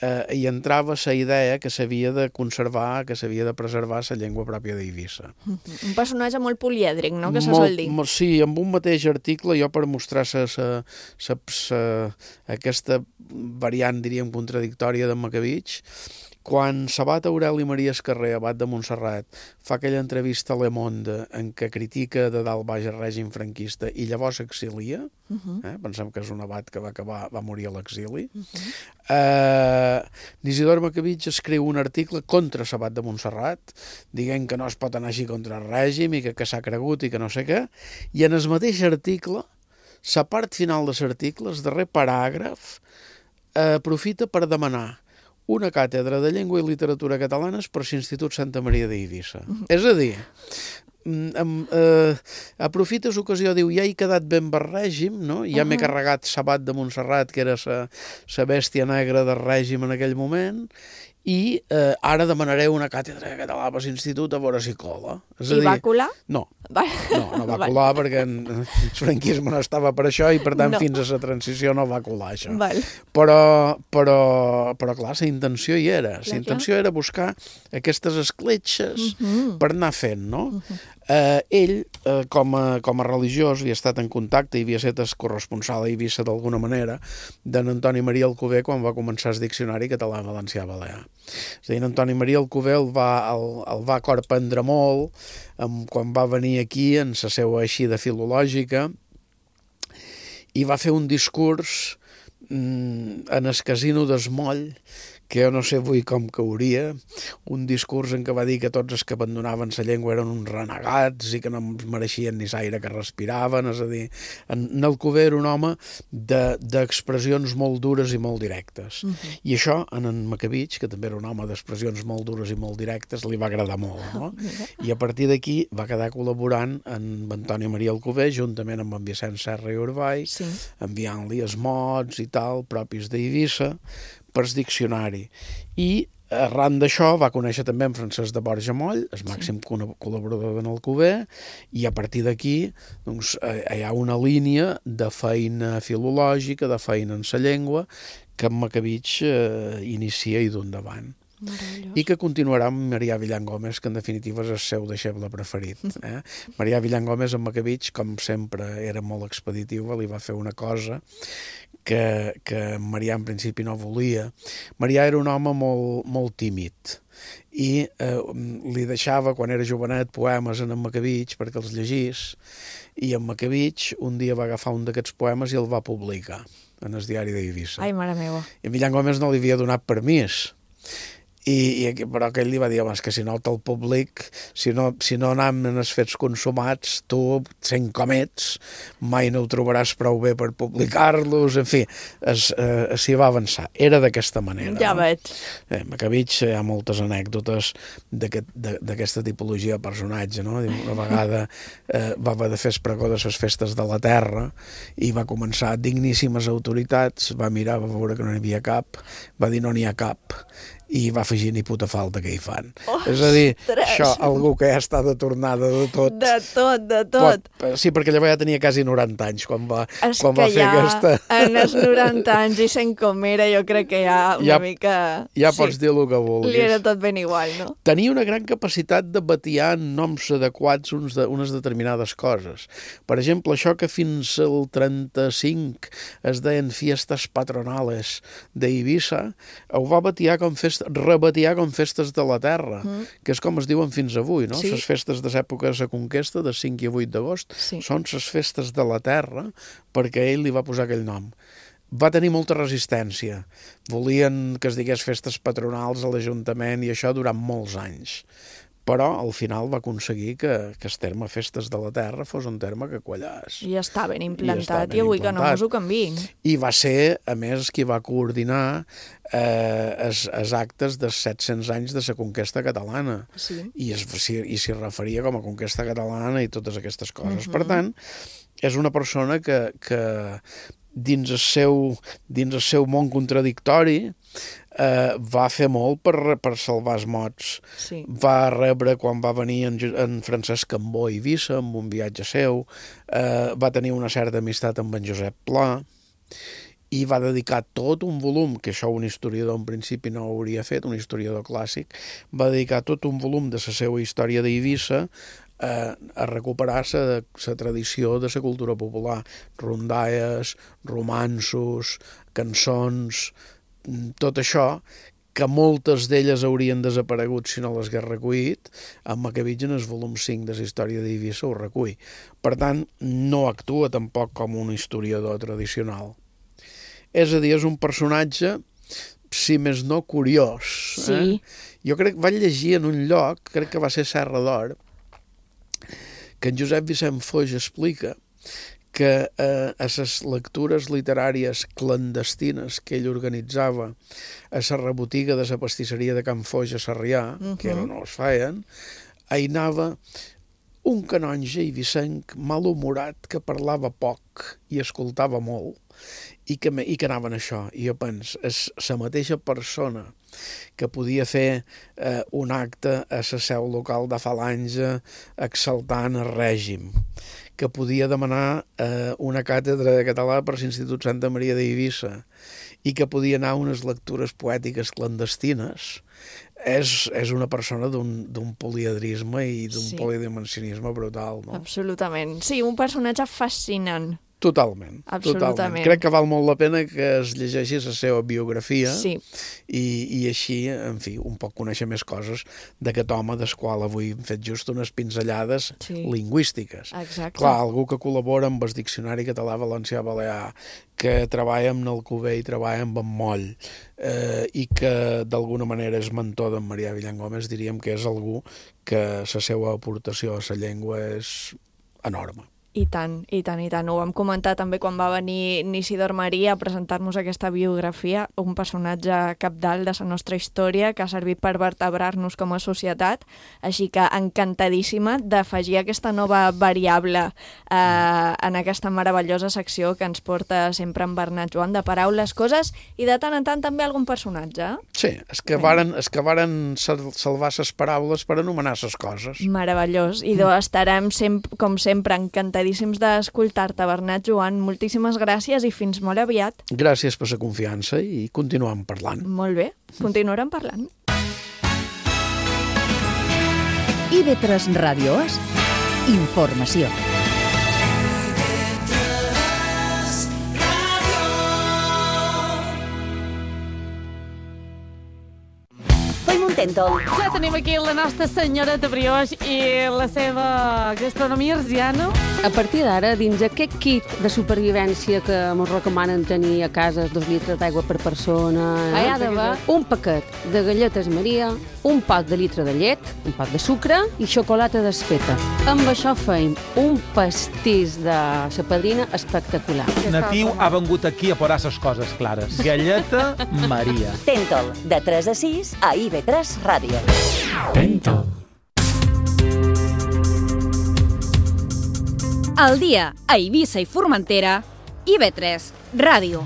eh, hi entrava la idea que s'havia de conservar, que s'havia de preservar la llengua pròpia d'Eivissa. Uh -huh. Un personatge molt polièdric, no?, que se molt, sol dir. Molt, sí, amb un mateix article, jo per mostrar sa, sa, sa, sa, aquesta variant, diríem, contradictòria de Macabich, quan Sabat Aureli Maria Escarrer, abat de Montserrat, fa aquella entrevista a Le Monde en què critica de dalt baix el règim franquista i llavors s'exilia, uh -huh. eh? pensem que és un abat que va, acabar, va morir a l'exili, uh -huh. eh, Isidor Macabich escriu un article contra Sabat de Montserrat, dient que no es pot anar així contra el règim i que, que s'ha cregut i que no sé què, i en el mateix article, la part final de l'article, el darrer paràgraf, eh, aprofita per demanar una càtedra de llengua i literatura catalanes per l'Institut Santa Maria d'Eivissa. Uh -huh. És a dir, um, uh, aprofita l'ocasió, diu, ja he quedat ben per règim, no? ja uh -huh. m'he carregat Sabat de Montserrat, que era la bèstia negra del règim en aquell moment, i eh, ara demanaré una càtedra de català per l'Institut a veure si cola. És a I dir, va colar? No. Va. No, no va colar perquè el franquisme no estava per això i per tant no. fins a la transició no va colar això. Val. Però, però, però clar, la intenció hi era. Clar, la intenció clar. era buscar aquestes escletxes uh -huh. per anar fent, no? Uh -huh. Eh, ell, eh, com, a, com a religiós, havia estat en contacte i havia estat corresponsal a Eivissa d'alguna manera d'en Antoni Maria Alcover quan va començar el diccionari català-valencià-balear. És a dir, en Antoni Maria Alcover el va, el, el va corprendre molt um, quan va venir aquí en la seva eixida filològica i va fer un discurs mm, en el casino d'Esmoll, que jo no sé avui com cauria, un discurs en què va dir que tots els que abandonaven la llengua eren uns renegats i que no mereixien ni l'aire que respiraven, és a dir, en Alcover era un home d'expressions de, molt dures i molt directes. Uh -huh. I això, en en Macabich, que també era un home d'expressions molt dures i molt directes, li va agradar molt, no? I a partir d'aquí va quedar col·laborant amb Antoni Maria Alcover, juntament amb en Vicent Serra i Urball, sí. enviant-li els mots i tal, propis d'Eivissa, per diccionari. I arran d'això va conèixer també en Francesc de Borja Moll, el màxim sí. col·laborador d'en Alcover, i a partir d'aquí doncs, hi ha una línia de feina filològica, de feina en la llengua, que en Macabich eh, inicia i d'un davant. I que continuarà amb Marià Villan Gómez, que en definitiva és el seu deixeble preferit. Eh? Marià Villan Gómez en Macabich, com sempre, era molt expeditiu, li va fer una cosa que, que Marià en principi no volia. Marià era un home molt, molt tímid i eh, li deixava, quan era jovenet, poemes en en Macabich perquè els llegís, i en Macabich un dia va agafar un d'aquests poemes i el va publicar en el diari d'Eivissa. Ai, mare meva. I en Villan Gómez no li havia donat permís. I, i, però aquell li va dir, home, és que si no te'l public, si no, si no anem en els fets consumats, tu, sent com ets, mai no ho trobaràs prou bé per publicar-los, en fi, es, eh, s'hi va avançar. Era d'aquesta manera. Ja no? veig. Eh, Macabich, hi ha moltes anècdotes d'aquesta tipologia de personatge, no? Una vegada eh, va haver de fer el pregó de les festes de la terra i va començar digníssimes autoritats, va mirar, va veure que no n'hi havia cap, va dir no n'hi ha cap, i va afegir ni puta falta que hi fan. Ostres. És a dir, això, algú que ja està de tornada de tot. De tot, de tot. Pot, sí, perquè llavors ja tenia quasi noranta anys quan va, és quan va fer ja, aquesta... en els noranta anys i sent com era, jo crec que ja una ja, mica... Ja sí, pots dir el que vulguis. Li era tot ben igual, no? Tenia una gran capacitat de batiar en noms adequats uns de, unes determinades coses. Per exemple, això que fins al trenta-cinc es deien fiestes patronales d'Eivissa, ho va batiar com fes rebatiar com festes de la terra, mm. que és com es diuen fins avui, no? Sí. Les festes de l'època de la conquesta, de cinc i vuit d'agost, sí. són les festes de la terra, perquè ell li va posar aquell nom. Va tenir molta resistència. Volien que es digués festes patronals a l'Ajuntament i això durant molts anys. Però al final va aconseguir que, que el terme festes de la terra fos un terme que quallàs. I està ben implantat, i, i avui implantat. Que no mos ho canviïn. I va ser, a més, qui va coordinar eh, els, els actes dels set-cents anys de la conquesta catalana. Sí. I, es, i s'hi referia com a conquesta catalana i totes aquestes coses. Uh-huh. Per tant, és una persona que, que dins el seu, dins el seu món contradictori eh, va fer molt per, per salvar els mots. Sí. Va rebre, quan va venir en, en Francesc Cambó a Eivissa, amb un viatge seu, eh, va tenir una certa amistat amb en Josep Pla, i va dedicar tot un volum, que això un historiador en principi no hauria fet, un historiador clàssic, va dedicar tot un volum de la seva història d'Eivissa a, a recuperar la tradició de la cultura popular, rondalles, romanços, cançons, tot això, que moltes d'elles haurien desaparegut si no les hagués recollit, en Macabich en el volum cinc de la història d'Eivissa ho recull. Per tant, no actua tampoc com un historiador tradicional. És a dir, és un personatge, si més no, curiós. Sí. Eh? Jo crec que vaig llegir en un lloc, crec que va ser Serra d'Or, que en Josep Vicent Foix explica que eh, a les lectures literàries clandestines que ell organitzava a la rebotiga de la pastisseria de Can Foix a Sarrià, uh-huh. que ara no es feien, hi anava un canonge eivissenc malhumorat que parlava poc i escoltava molt, i que, i que anaven això. I jo penso, és la mateixa persona que podia fer eh, un acte a la seu local de Falange exaltant el règim, que podia demanar eh, una càtedra de català per l'Institut Santa Maria d'Eivissa i que podia anar a unes lectures poètiques clandestines, és, és una persona d'un poliedrisme i d'un Sí. polidimensionisme brutal, no? Absolutament. Sí, un personatge fascinant. Totalment, Absolutament. totalment. Crec que val molt la pena que es llegeixi la seva biografia Sí. i, i així, en fi, un poc conèixer més coses d'aquest home del qual avui hem fet just unes pinzellades Sí. lingüístiques. Exacte. Clar, algú que col·labora amb el Diccionari Català Valencià Balear, que treballa amb Alcover i treballa amb en Moll, eh, i que d'alguna manera és mentor d'en Marià Villan Gómez, diríem que és algú que la seva aportació a la llengua és enorme. I tant, i tant, i tant. Ho vam comentar també quan va venir Nisidor Maria a presentar-nos aquesta biografia, un personatge capdalt de la nostra història que ha servit per vertebrar-nos com a societat, així que encantadíssima d'afegir aquesta nova variable eh, en aquesta meravellosa secció que ens porta sempre en Bernat Joan, de paraules, coses i de tant en tant també algun personatge. Sí, és que varen, és que varen sal- salvar ses paraules per anomenar ses coses. Meravellós. I doncs estarem, sem com sempre, encantadíssims d'escoltar-te, Bernat Joan. Moltíssimes gràcies i fins molt aviat. Gràcies per la confiança i continuem parlant. Molt bé, continuarem parlant. I ve tres Ràdio És informació. Tèntol. Ja tenim aquí la nostra senyora de brioix i la seva gastronomia arsiana. A partir d'ara, dins aquest kit de supervivència que ens recomanen tenir a casa, dos litres d'aigua per persona, hi ha d'haver un paquet de galletes Maria, un pot de litre de llet, un pot de sucre i xocolata desfeta. Amb això feim un pastís de la padrina espectacular. Natiu ha vengut aquí a posar les coses clares. Galleta Maria. Tèntol, de tres a sis a I V tres Ràdio. Tèntol. Al dia a Eivissa i Formentera, I V tres Ràdio.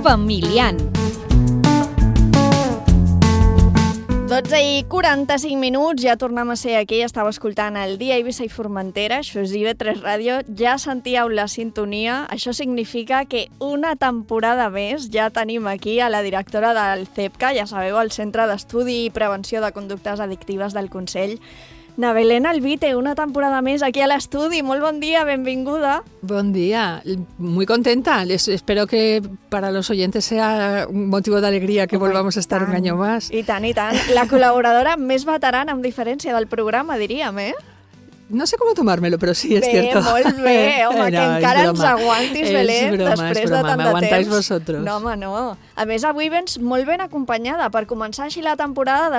Familiant. dotze i quaranta-cinc minuts, ja tornem a ser aquí, estava escoltant el dia Eivissa i Formentera, això és I V tres Ràdio, ja sentíeu la sintonia, això significa que una temporada més ja tenim aquí a la directora del CEPCA, ja sabeu, el Centre d'Estudi i Prevenció de Conductes Addictives del Consell, Na Belén Albite, una temporada més aquí a l'estudi. Molt bon dia, benvinguda. Buen día, muy contenta. Les espero que para los oyentes sea un motivo de alegría que volvamos a estar un año más. I tant, i tant. La col·laboradora més veterana, amb diferència del programa, diríem, eh? No sé cómo tomármelo, pero sí es bé, cierto. Molt bé, home, no, que encara ens aguantis, és Belén, broma, després és broma, de tant de m'aguantáis temps. vosotros. No, home, no. A més, avui vens molt ben acompanyada per començar així la temporada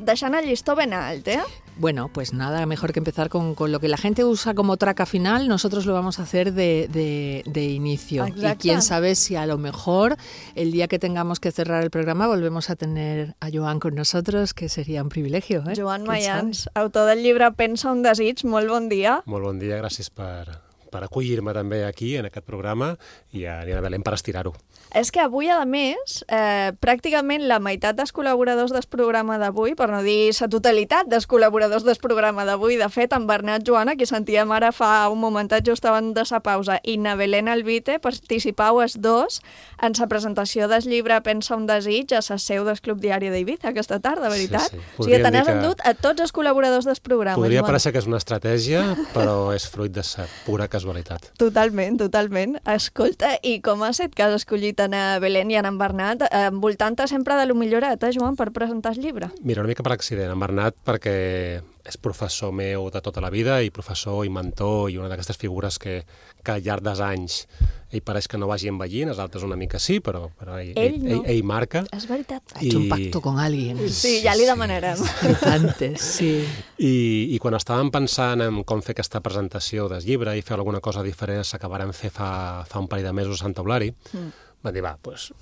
deixant el llistó ben alt, eh? Bueno, pues nada, mejor que empezar con, con lo que la gente usa como traca final, nosotros lo vamos a hacer de, de, de inicio. Exacte. Y quién sabe si a lo mejor el día que tengamos que cerrar el programa volvemos a tener a Joan con nosotros, que sería un privilegio. ¿eh? Joan ¿Quién Mayans, sabe? autor del llibre Pensa un desig, molt bon dia. Molt bon dia, gràcies per, per acollir-me també aquí, en aquest programa, i a Nina Belén per estirar-ho. És que avui, a més, eh, pràcticament la meitat dels col·laboradors del programa d'avui, per no dir la totalitat dels col·laboradors del programa d'avui, de fet, en Bernat Joan, a qui sentíem ara fa un momentet just abans de sa pausa, i na Belén Albite, participau els dos en la presentació del llibre Pensa un desig a la seu del Club Diari d'Eivissa aquesta tarda, veritat? Sí, sí. O sigui, te Podríem n'has dir que- endut a tots els col·laboradors del programa. Podria Joan. parecer que és una estratègia, però és fruit de sa pura casualitat. Totalment, totalment. Escolta, i com ha estat que has escollit en Belén i en Bernat, envoltant-te sempre de lo millorat, eh, Joan, per presentar el llibre? Mira, una mica per accident, en Bernat, perquè és professor meu de tota la vida i professor i mentor i una d'aquestes figures que, que al llarg dels anys ell pareix que no vagi envellint, els altres una mica sí, però, però ell, Ell ell, no. ell, ell marca. És veritat. Ha hecho un pacto con alguien. Sí, ja li demanarem. Antes, sí. I, I quan estàvem pensant en com fer aquesta presentació del llibre i fer alguna cosa diferent, s'acabarem fer fa, fa un parell de mesos a Sant Eulari, Mm. vam dir, va, doncs,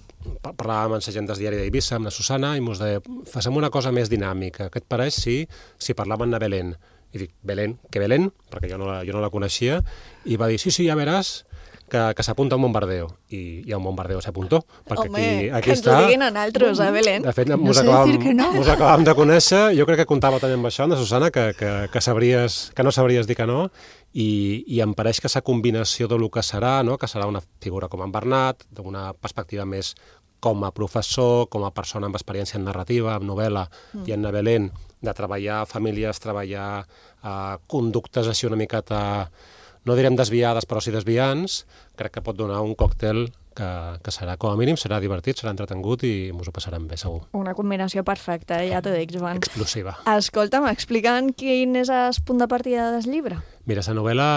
parlàvem amb la gent del diari d'Eivissa, amb la Susana, i mos deia, facem una cosa més dinàmica. Què et pareix si, si parlàvem de Belén? I dic, Belén? Què Belén? Perquè jo no, la, jo no la coneixia. I va dir, sí, sí, ja veràs que, que s'apunta a un bombardeo. I, i a un bombardeo s'apuntó. Home, aquí, aquí que ens està. ho diguin a nosaltres, eh, Belén? De fet, no mos sé acabàvem, dir que no. mos acabàvem de conèixer. Jo crec que comptava també amb això, de Susana, que, que, que, sabries, que no sabries dir que no. I, i em pareix que aquesta combinació de lo que serà, no? Que serà una figura com en Bernat, d'una perspectiva més com a professor, com a persona amb experiència en narrativa, en novel·la mm. i en Belén, de treballar famílies, treballar eh, conductes així una miqueta, no direm desviades, però sí desviants, crec que pot donar un còctel que, que serà, com a mínim, serà divertit, serà entretengut i ens ho passarem bé, segur. Una combinació perfecta, ja t'ho dic, Joan. Explosiva. Escolta'm, explica'm quin és el punt de partida del llibre. Mira, la novel·la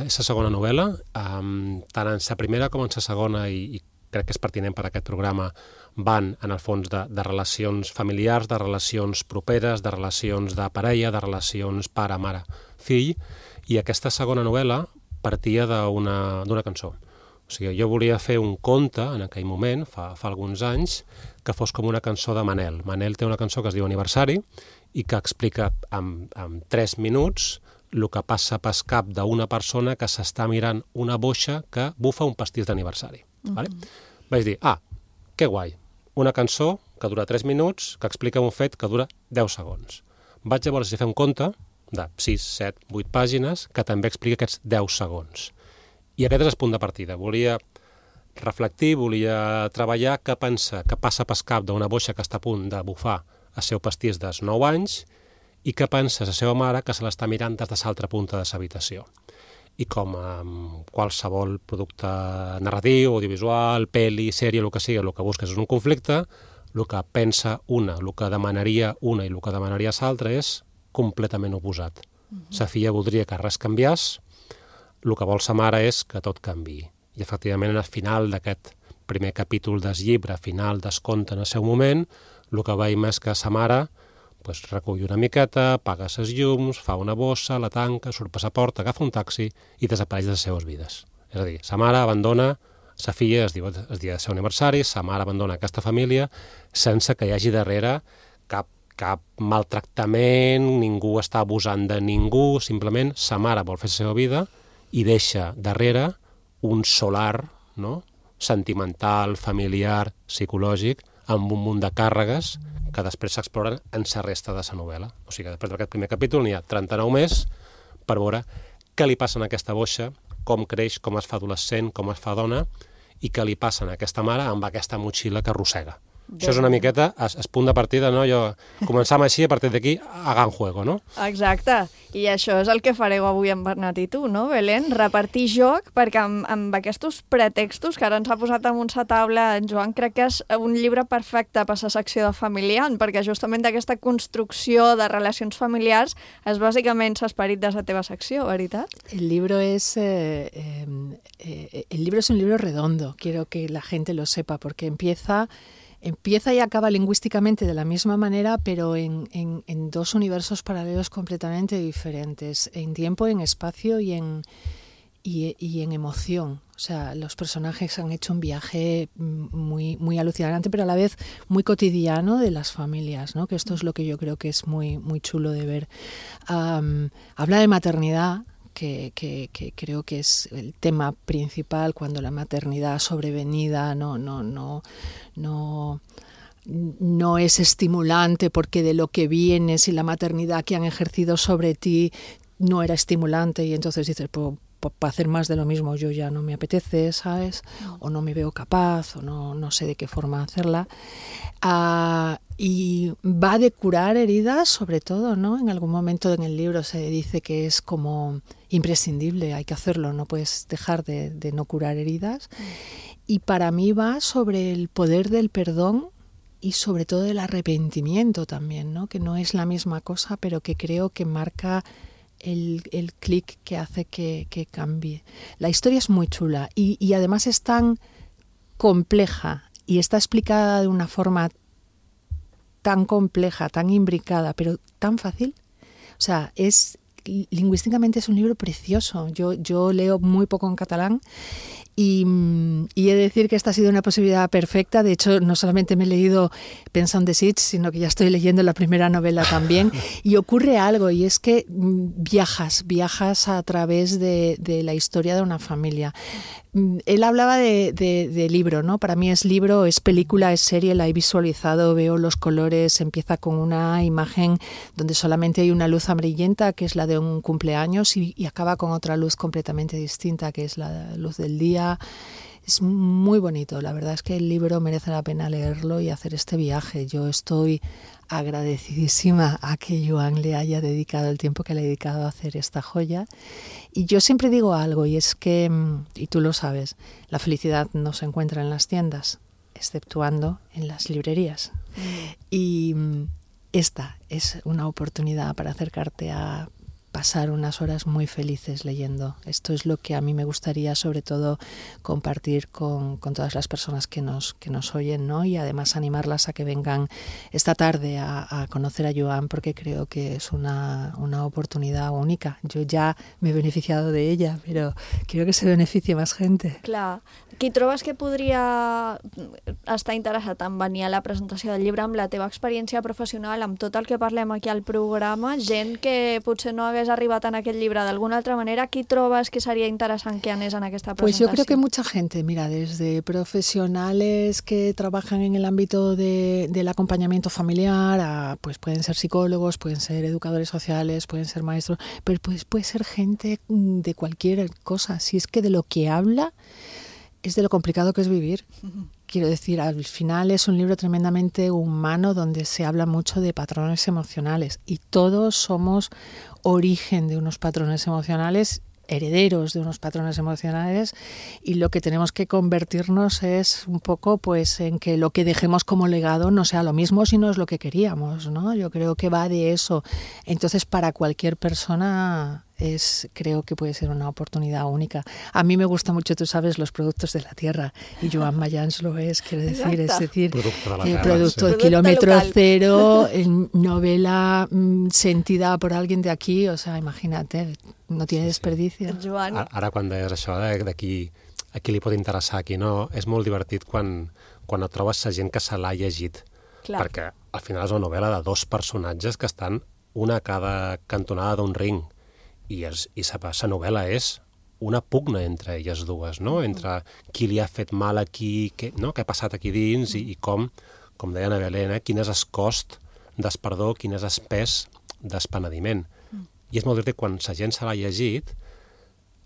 és la segona novel·la, um, tant en la primera com en la segona, i, i crec que és pertinent per a aquest programa, van, en el fons, de, de relacions familiars, de relacions properes, de relacions de parella, de relacions pare, mare, fill, i aquesta segona novel·la partia d'una d'una cançó. O sigui, jo volia fer un conte, en aquell moment, fa, fa alguns anys, que fos com una cançó de Manel. Manel té una cançó que es diu Aniversari i que explica en, en tres minuts el que passa pel cap d'una persona que s'està mirant una boixa que bufa un pastís d'aniversari. Mm-hmm. Vale? Vaig dir, ah, que guai, una cançó que dura tres minuts, que explica un fet que dura deu segons. Vaig llavors fer un conte de sis, set, vuit pàgines que també explica aquests deu segons. I aquest és el punt de partida. Volia reflectir, volia treballar què pensa, què passa pel cap d'una boixa que està a punt de bufar el seu pastís dels nou anys i què pensa la seva mare que se l'està mirant des de l'altra punta de l'habitació. I com amb qualsevol producte narratiu, audiovisual, pel·li, sèrie, el que sigui, el que busques és un conflicte, el que pensa una, el que demanaria una i el que demanaria l'altra és completament oposat. Sa filla voldria que res canviés, el que vol sa mare és que tot canviï. I efectivament al final d'aquest primer capítol del llibre, final del conte en el seu moment, el que veiem és que sa mare pues, recull una miqueta, apaga ses llums, fa una bossa, la tanca, surt per la porta, agafa un taxi i desapareix de les seves vides. És a dir, sa mare abandona sa filla, es diu el dia del seu aniversari, sa mare abandona aquesta família sense que hi hagi darrere cap, cap maltractament, ningú està abusant de ningú, simplement sa mare vol fer la seva vida i deixa darrere un solar, no? Sentimental, familiar, psicològic, amb un munt de càrregues que després s'exploren en la resta de la novel·la. O sigui que després d'aquest primer capítol n'hi ha trenta-nou més per veure què li passa a aquesta boixa, com creix, com es fa adolescent, com es fa dona, i què li passa a aquesta mare amb aquesta motxilla que arrossega. Això és una miqueta el punt de partida, no? Jo començam així, a partir d'aquí, a gran juego, no? Exacte. I això és el que fareu avui amb Bernat i tu, no, Belén? Repartir joc, perquè amb, amb aquests pretextos que ara ens ha posat damunt la taula en Joan, crec que és un llibre perfecte per la secció de familiar, perquè justament d'aquesta construcció de relacions familiars és bàsicament l'esperit de la teva secció, veritat? El libro es eh, eh, eh, el libro es un libro redondo, quiero que la gente lo sepa, porque empieza Empieza y acaba lingüísticamente de la misma manera, pero en, en, en dos universos paralelos completamente diferentes, en tiempo, en espacio y en, y, y en emoción. O sea, los personajes han hecho un viaje muy, muy alucinante, pero a la vez muy cotidiano de las familias, ¿no? Que esto es lo que yo creo que es muy, muy chulo de ver. Um, habla de maternidad, Que, que, que creo que es el tema principal cuando la maternidad sobrevenida no, no, no, no, no es estimulante, porque de lo que viene, si la maternidad que han ejercido sobre ti no era estimulante, y entonces dices, pues, para hacer más de lo mismo yo ya no me apetece, ¿sabes? O no me veo capaz, o no, no sé de qué forma hacerla. Uh, y va de curar heridas, sobre todo, ¿no? En algún momento en el libro se dice que es como imprescindible, hay que hacerlo, no puedes dejar de, de no curar heridas. Y para mí va sobre el poder del perdón y sobre todo del arrepentimiento también, ¿no? Que no es la misma cosa, pero que creo que marca el, el clic que hace que, que cambie. La historia es muy chula y, y además es tan compleja y está explicada de una forma tan compleja, tan imbricada, pero tan fácil. O sea, es lingüísticamente es un libro precioso. Yo, yo leo muy poco en catalán Y, y he de decir que esta ha sido una posibilidad perfecta. De hecho, no solamente me he leído Pensa un desig, sino que ya estoy leyendo la primera novela también. Y ocurre algo, y es que viajas, viajas a través de, de la historia de una familia. Él hablaba de, de, de libro, ¿no? Para mí es libro, es película, es serie, la he visualizado, veo los colores, empieza con una imagen donde solamente hay una luz amarillenta, que es la de un cumpleaños, y, y acaba con otra luz completamente distinta, que es la luz del día. Es muy bonito, la verdad es que el libro merece la pena leerlo y hacer este viaje. Yo estoy agradecidísima a que Joan le haya dedicado el tiempo que le ha dedicado a hacer esta joya. Y yo siempre digo algo, y es que, y tú lo sabes, la felicidad no se encuentra en las tiendas, exceptuando en las librerías. Mm. Y esta es una oportunidad para acercarte a pasar unas horas muy felices leyendo. Esto es lo que a mí me gustaría sobre todo compartir con, con todas las personas que nos, que nos oyen, ¿no? Y además animarlas a que vengan esta tarde a, a conocer a Joan, porque creo que es una, una oportunidad única. Yo ya me he beneficiado de ella, pero quiero que se beneficie más gente. Clar. Qui trobes que podria estar interessat en venir a la presentació del llibre amb la teva experiència professional, amb tot el que parlem aquí al programa, gent que potser no hagués arribat en aquest llibre d'alguna altra manera, qui trobes que sería interessant que anés en aquesta presentació? Pues yo creo que mucha gente, mira, desde profesionales que trabajan en el ámbito de, del acompañamiento familiar, a, pues pueden ser psicólogos, pueden ser educadores sociales, pueden ser maestros, pero pues puede ser gente de cualquier cosa. Si es que de lo que habla es de lo complicado que es vivir. Quiero decir, al final es un libro tremendamente humano donde se habla mucho de patrones emocionales y todos somos origen de unos patrones emocionales, herederos de unos patrones emocionales, y lo que tenemos que convertirnos es un poco pues en que lo que dejemos como legado no sea lo mismo si no es lo que queríamos, ¿no? Yo creo que va de eso. Entonces, para cualquier persona es, creo que puede ser una oportunidad única. A mí me gusta mucho, tú sabes, los productos de la tierra, y Joan Mayans lo es, quiero decir, Exacto. es decir, Producto de la el tierra, producto sí. de kilómetro local. cero, en novela mm, sentida por alguien de aquí, o sea, imagínate, no tiene desperdicio. Joan, Ara, ara quan deies això de, de qui, a qui li pot interessar, a qui no, és molt divertit quan, quan et trobes la gent que se l'ha llegit. Clar. Perquè al final és una novel·la de dos personatges que estan una a cada cantonada d'un ring, i, és, i sa, sa novel·la és una pugna entre elles dues, no? Entre qui li ha fet mal aquí, què, no? què ha passat aquí dins, i, i com, com deia Ana Belén, eh? quin és el cost d'esperdó, quin és el pes d'espenediment. I és molt divertit quan la gent se l'ha llegit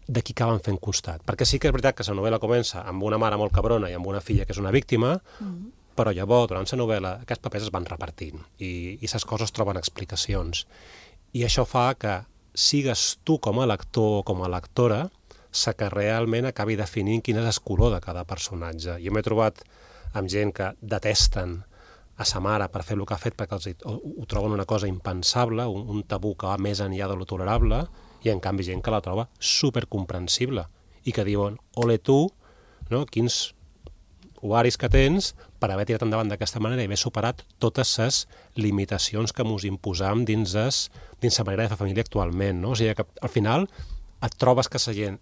de qui acaben fent costat. Perquè sí que és veritat que la novel·la comença amb una mare molt cabrona i amb una filla que és una víctima, mm. però llavors, durant la novel·la, aquests papers es van repartint i, i les coses troben explicacions. I això fa que sigues tu com a lector o com a lectora la que realment acabi definint quin és el color de cada personatge. Jo m'he trobat amb gent que detesten a sa mare per fer el que ha fet perquè els, ho, ho troben una cosa impensable, un, un tabú que va més enllà de lo tolerable, i en canvi gent que la troba supercomprensible i que diuen, ole tu, no? quins ovaris que tens per haver tirat endavant d'aquesta manera i haver superat totes les limitacions que mos imposam dins, es, dins la manera de fer família actualment. No? O sigui que al final et trobes que la gent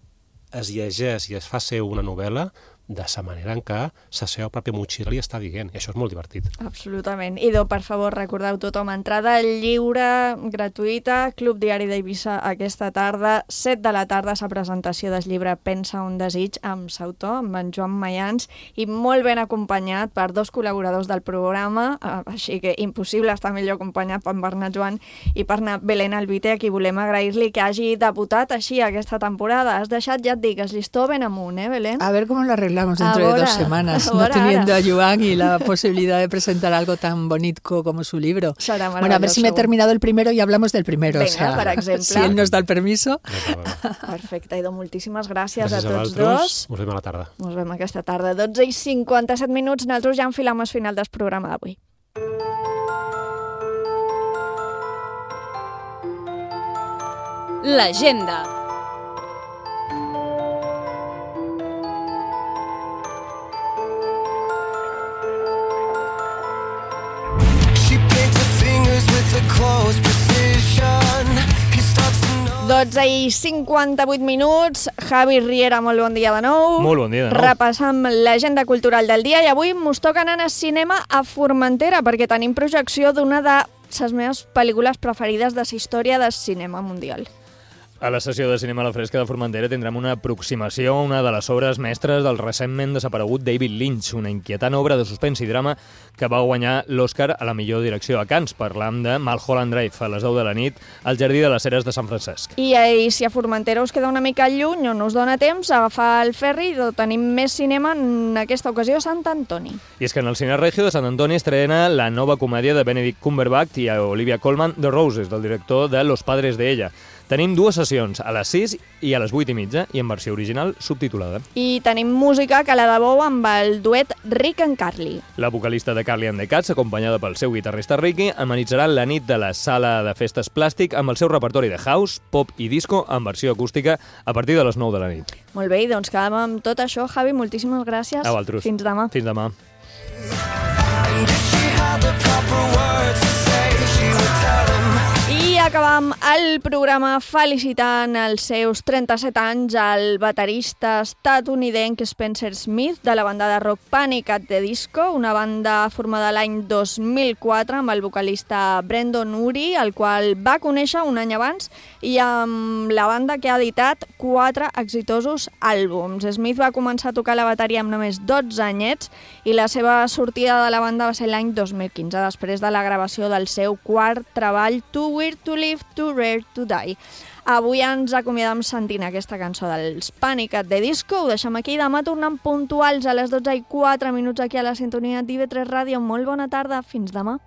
es llegeix i es fa ser una novel·la de la manera en què la seva pròpia motxilla li està dient. I això és molt divertit. Absolutament. Idò, per favor, recordeu tothom, entrada lliure, gratuïta, Club Diari d'Eivissa aquesta tarda, set de la tarda, la presentació del llibre Pensa un desig, amb l'autor, amb en Joan Mayans, i molt ben acompanyat per dos col·laboradors del programa, així que impossible estar millor acompanyat per Bernat Joan i per Belén Albite, a qui volem agrair-li que hagi debutat així aquesta temporada. Has deixat, ja et dic, el llistó ben amunt, eh, Belén? A ver cómo lo arreglamos dentro Ahora, de dos semanas, no ahora, teniendo ahora. a Joan y la posibilidad de presentar algo tan bonito como su libro. Serà Bueno, a ver si me he terminado el primero y hablamos del primero. Venga, o sea, per exemple. si él nos da el permiso. Perfecte, Idò, moltíssimes gràcies, Gràcies a a tots vosaltres. dos. Ens veiem a la tarda. Ens veiem aquesta tarda. dotze i cinquanta-set minuts, nosaltres ja enfilam el final del programa d'avui. L'agenda. dotze i cinquanta-vuit minuts. Javi Riera, molt bon dia de nou. Molt bon dia de nou. Repassam l'agenda cultural del dia i avui mos toca anar a cinema a Formentera perquè tenim projecció d'una de les meves pel·lícules preferides de la història del cinema mundial. A la sessió de cinema a la Fresca de Formentera tindrem una aproximació a una de les obres mestres del recentment desaparegut David Lynch, una inquietant obra de suspens i drama que va guanyar l'Oscar a la millor direcció a Cannes. Parlam de Mulholland Drive, a les deu de la nit, al Jardí de les Ceres de Sant Francesc. I, I si a Formentera us queda una mica lluny o no us dona temps, agafar el ferri i tenim més cinema, en aquesta ocasió a Sant Antoni. I és que en el Cine Regio de Sant Antoni estrena la nova comèdia de Benedict Cumberbatch i Olivia Colman, The Roses, del director de Los Padres de Ella. Tenim dues sessions, a les sis i a les vuit i mitja, i en versió original subtitulada. I tenim música que la de bou amb el duet Rick and Carly. La vocalista de Carly and the Cats, acompanyada pel seu guitarrista Ricky, amenitzarà la nit de la sala de festes Plàstic amb el seu repertori de house, pop i disco en versió acústica a partir de les nou de la nit. Molt bé, doncs quedem amb tot això, Javi. Moltíssimes gràcies. A vosaltres. Fins demà. Fins demà. I acabam el programa felicitant els seus trenta-set anys al baterista estatunidenc Spencer Smith de la banda de rock Panic at the Disco, una banda formada l'any dos mil quatre amb el vocalista Brendan Urie, el qual va conèixer un any abans, i amb la banda que ha editat quatre exitosos àlbums. Smith va començar a tocar la bateria amb només dotze anyets i la seva sortida de la banda va ser l'any dos mil quinze, després de la gravació del seu quart treball Too Weird to Live, Too Rare to Die. Avui ens acomiadem sentint aquesta cançó dels Panic at the Disco. Ho deixem aquí. Demà tornem puntuals a les dotze i quatre minuts aquí a la sintonia d'I V tres Ràdio. Molt bona tarda. Fins demà.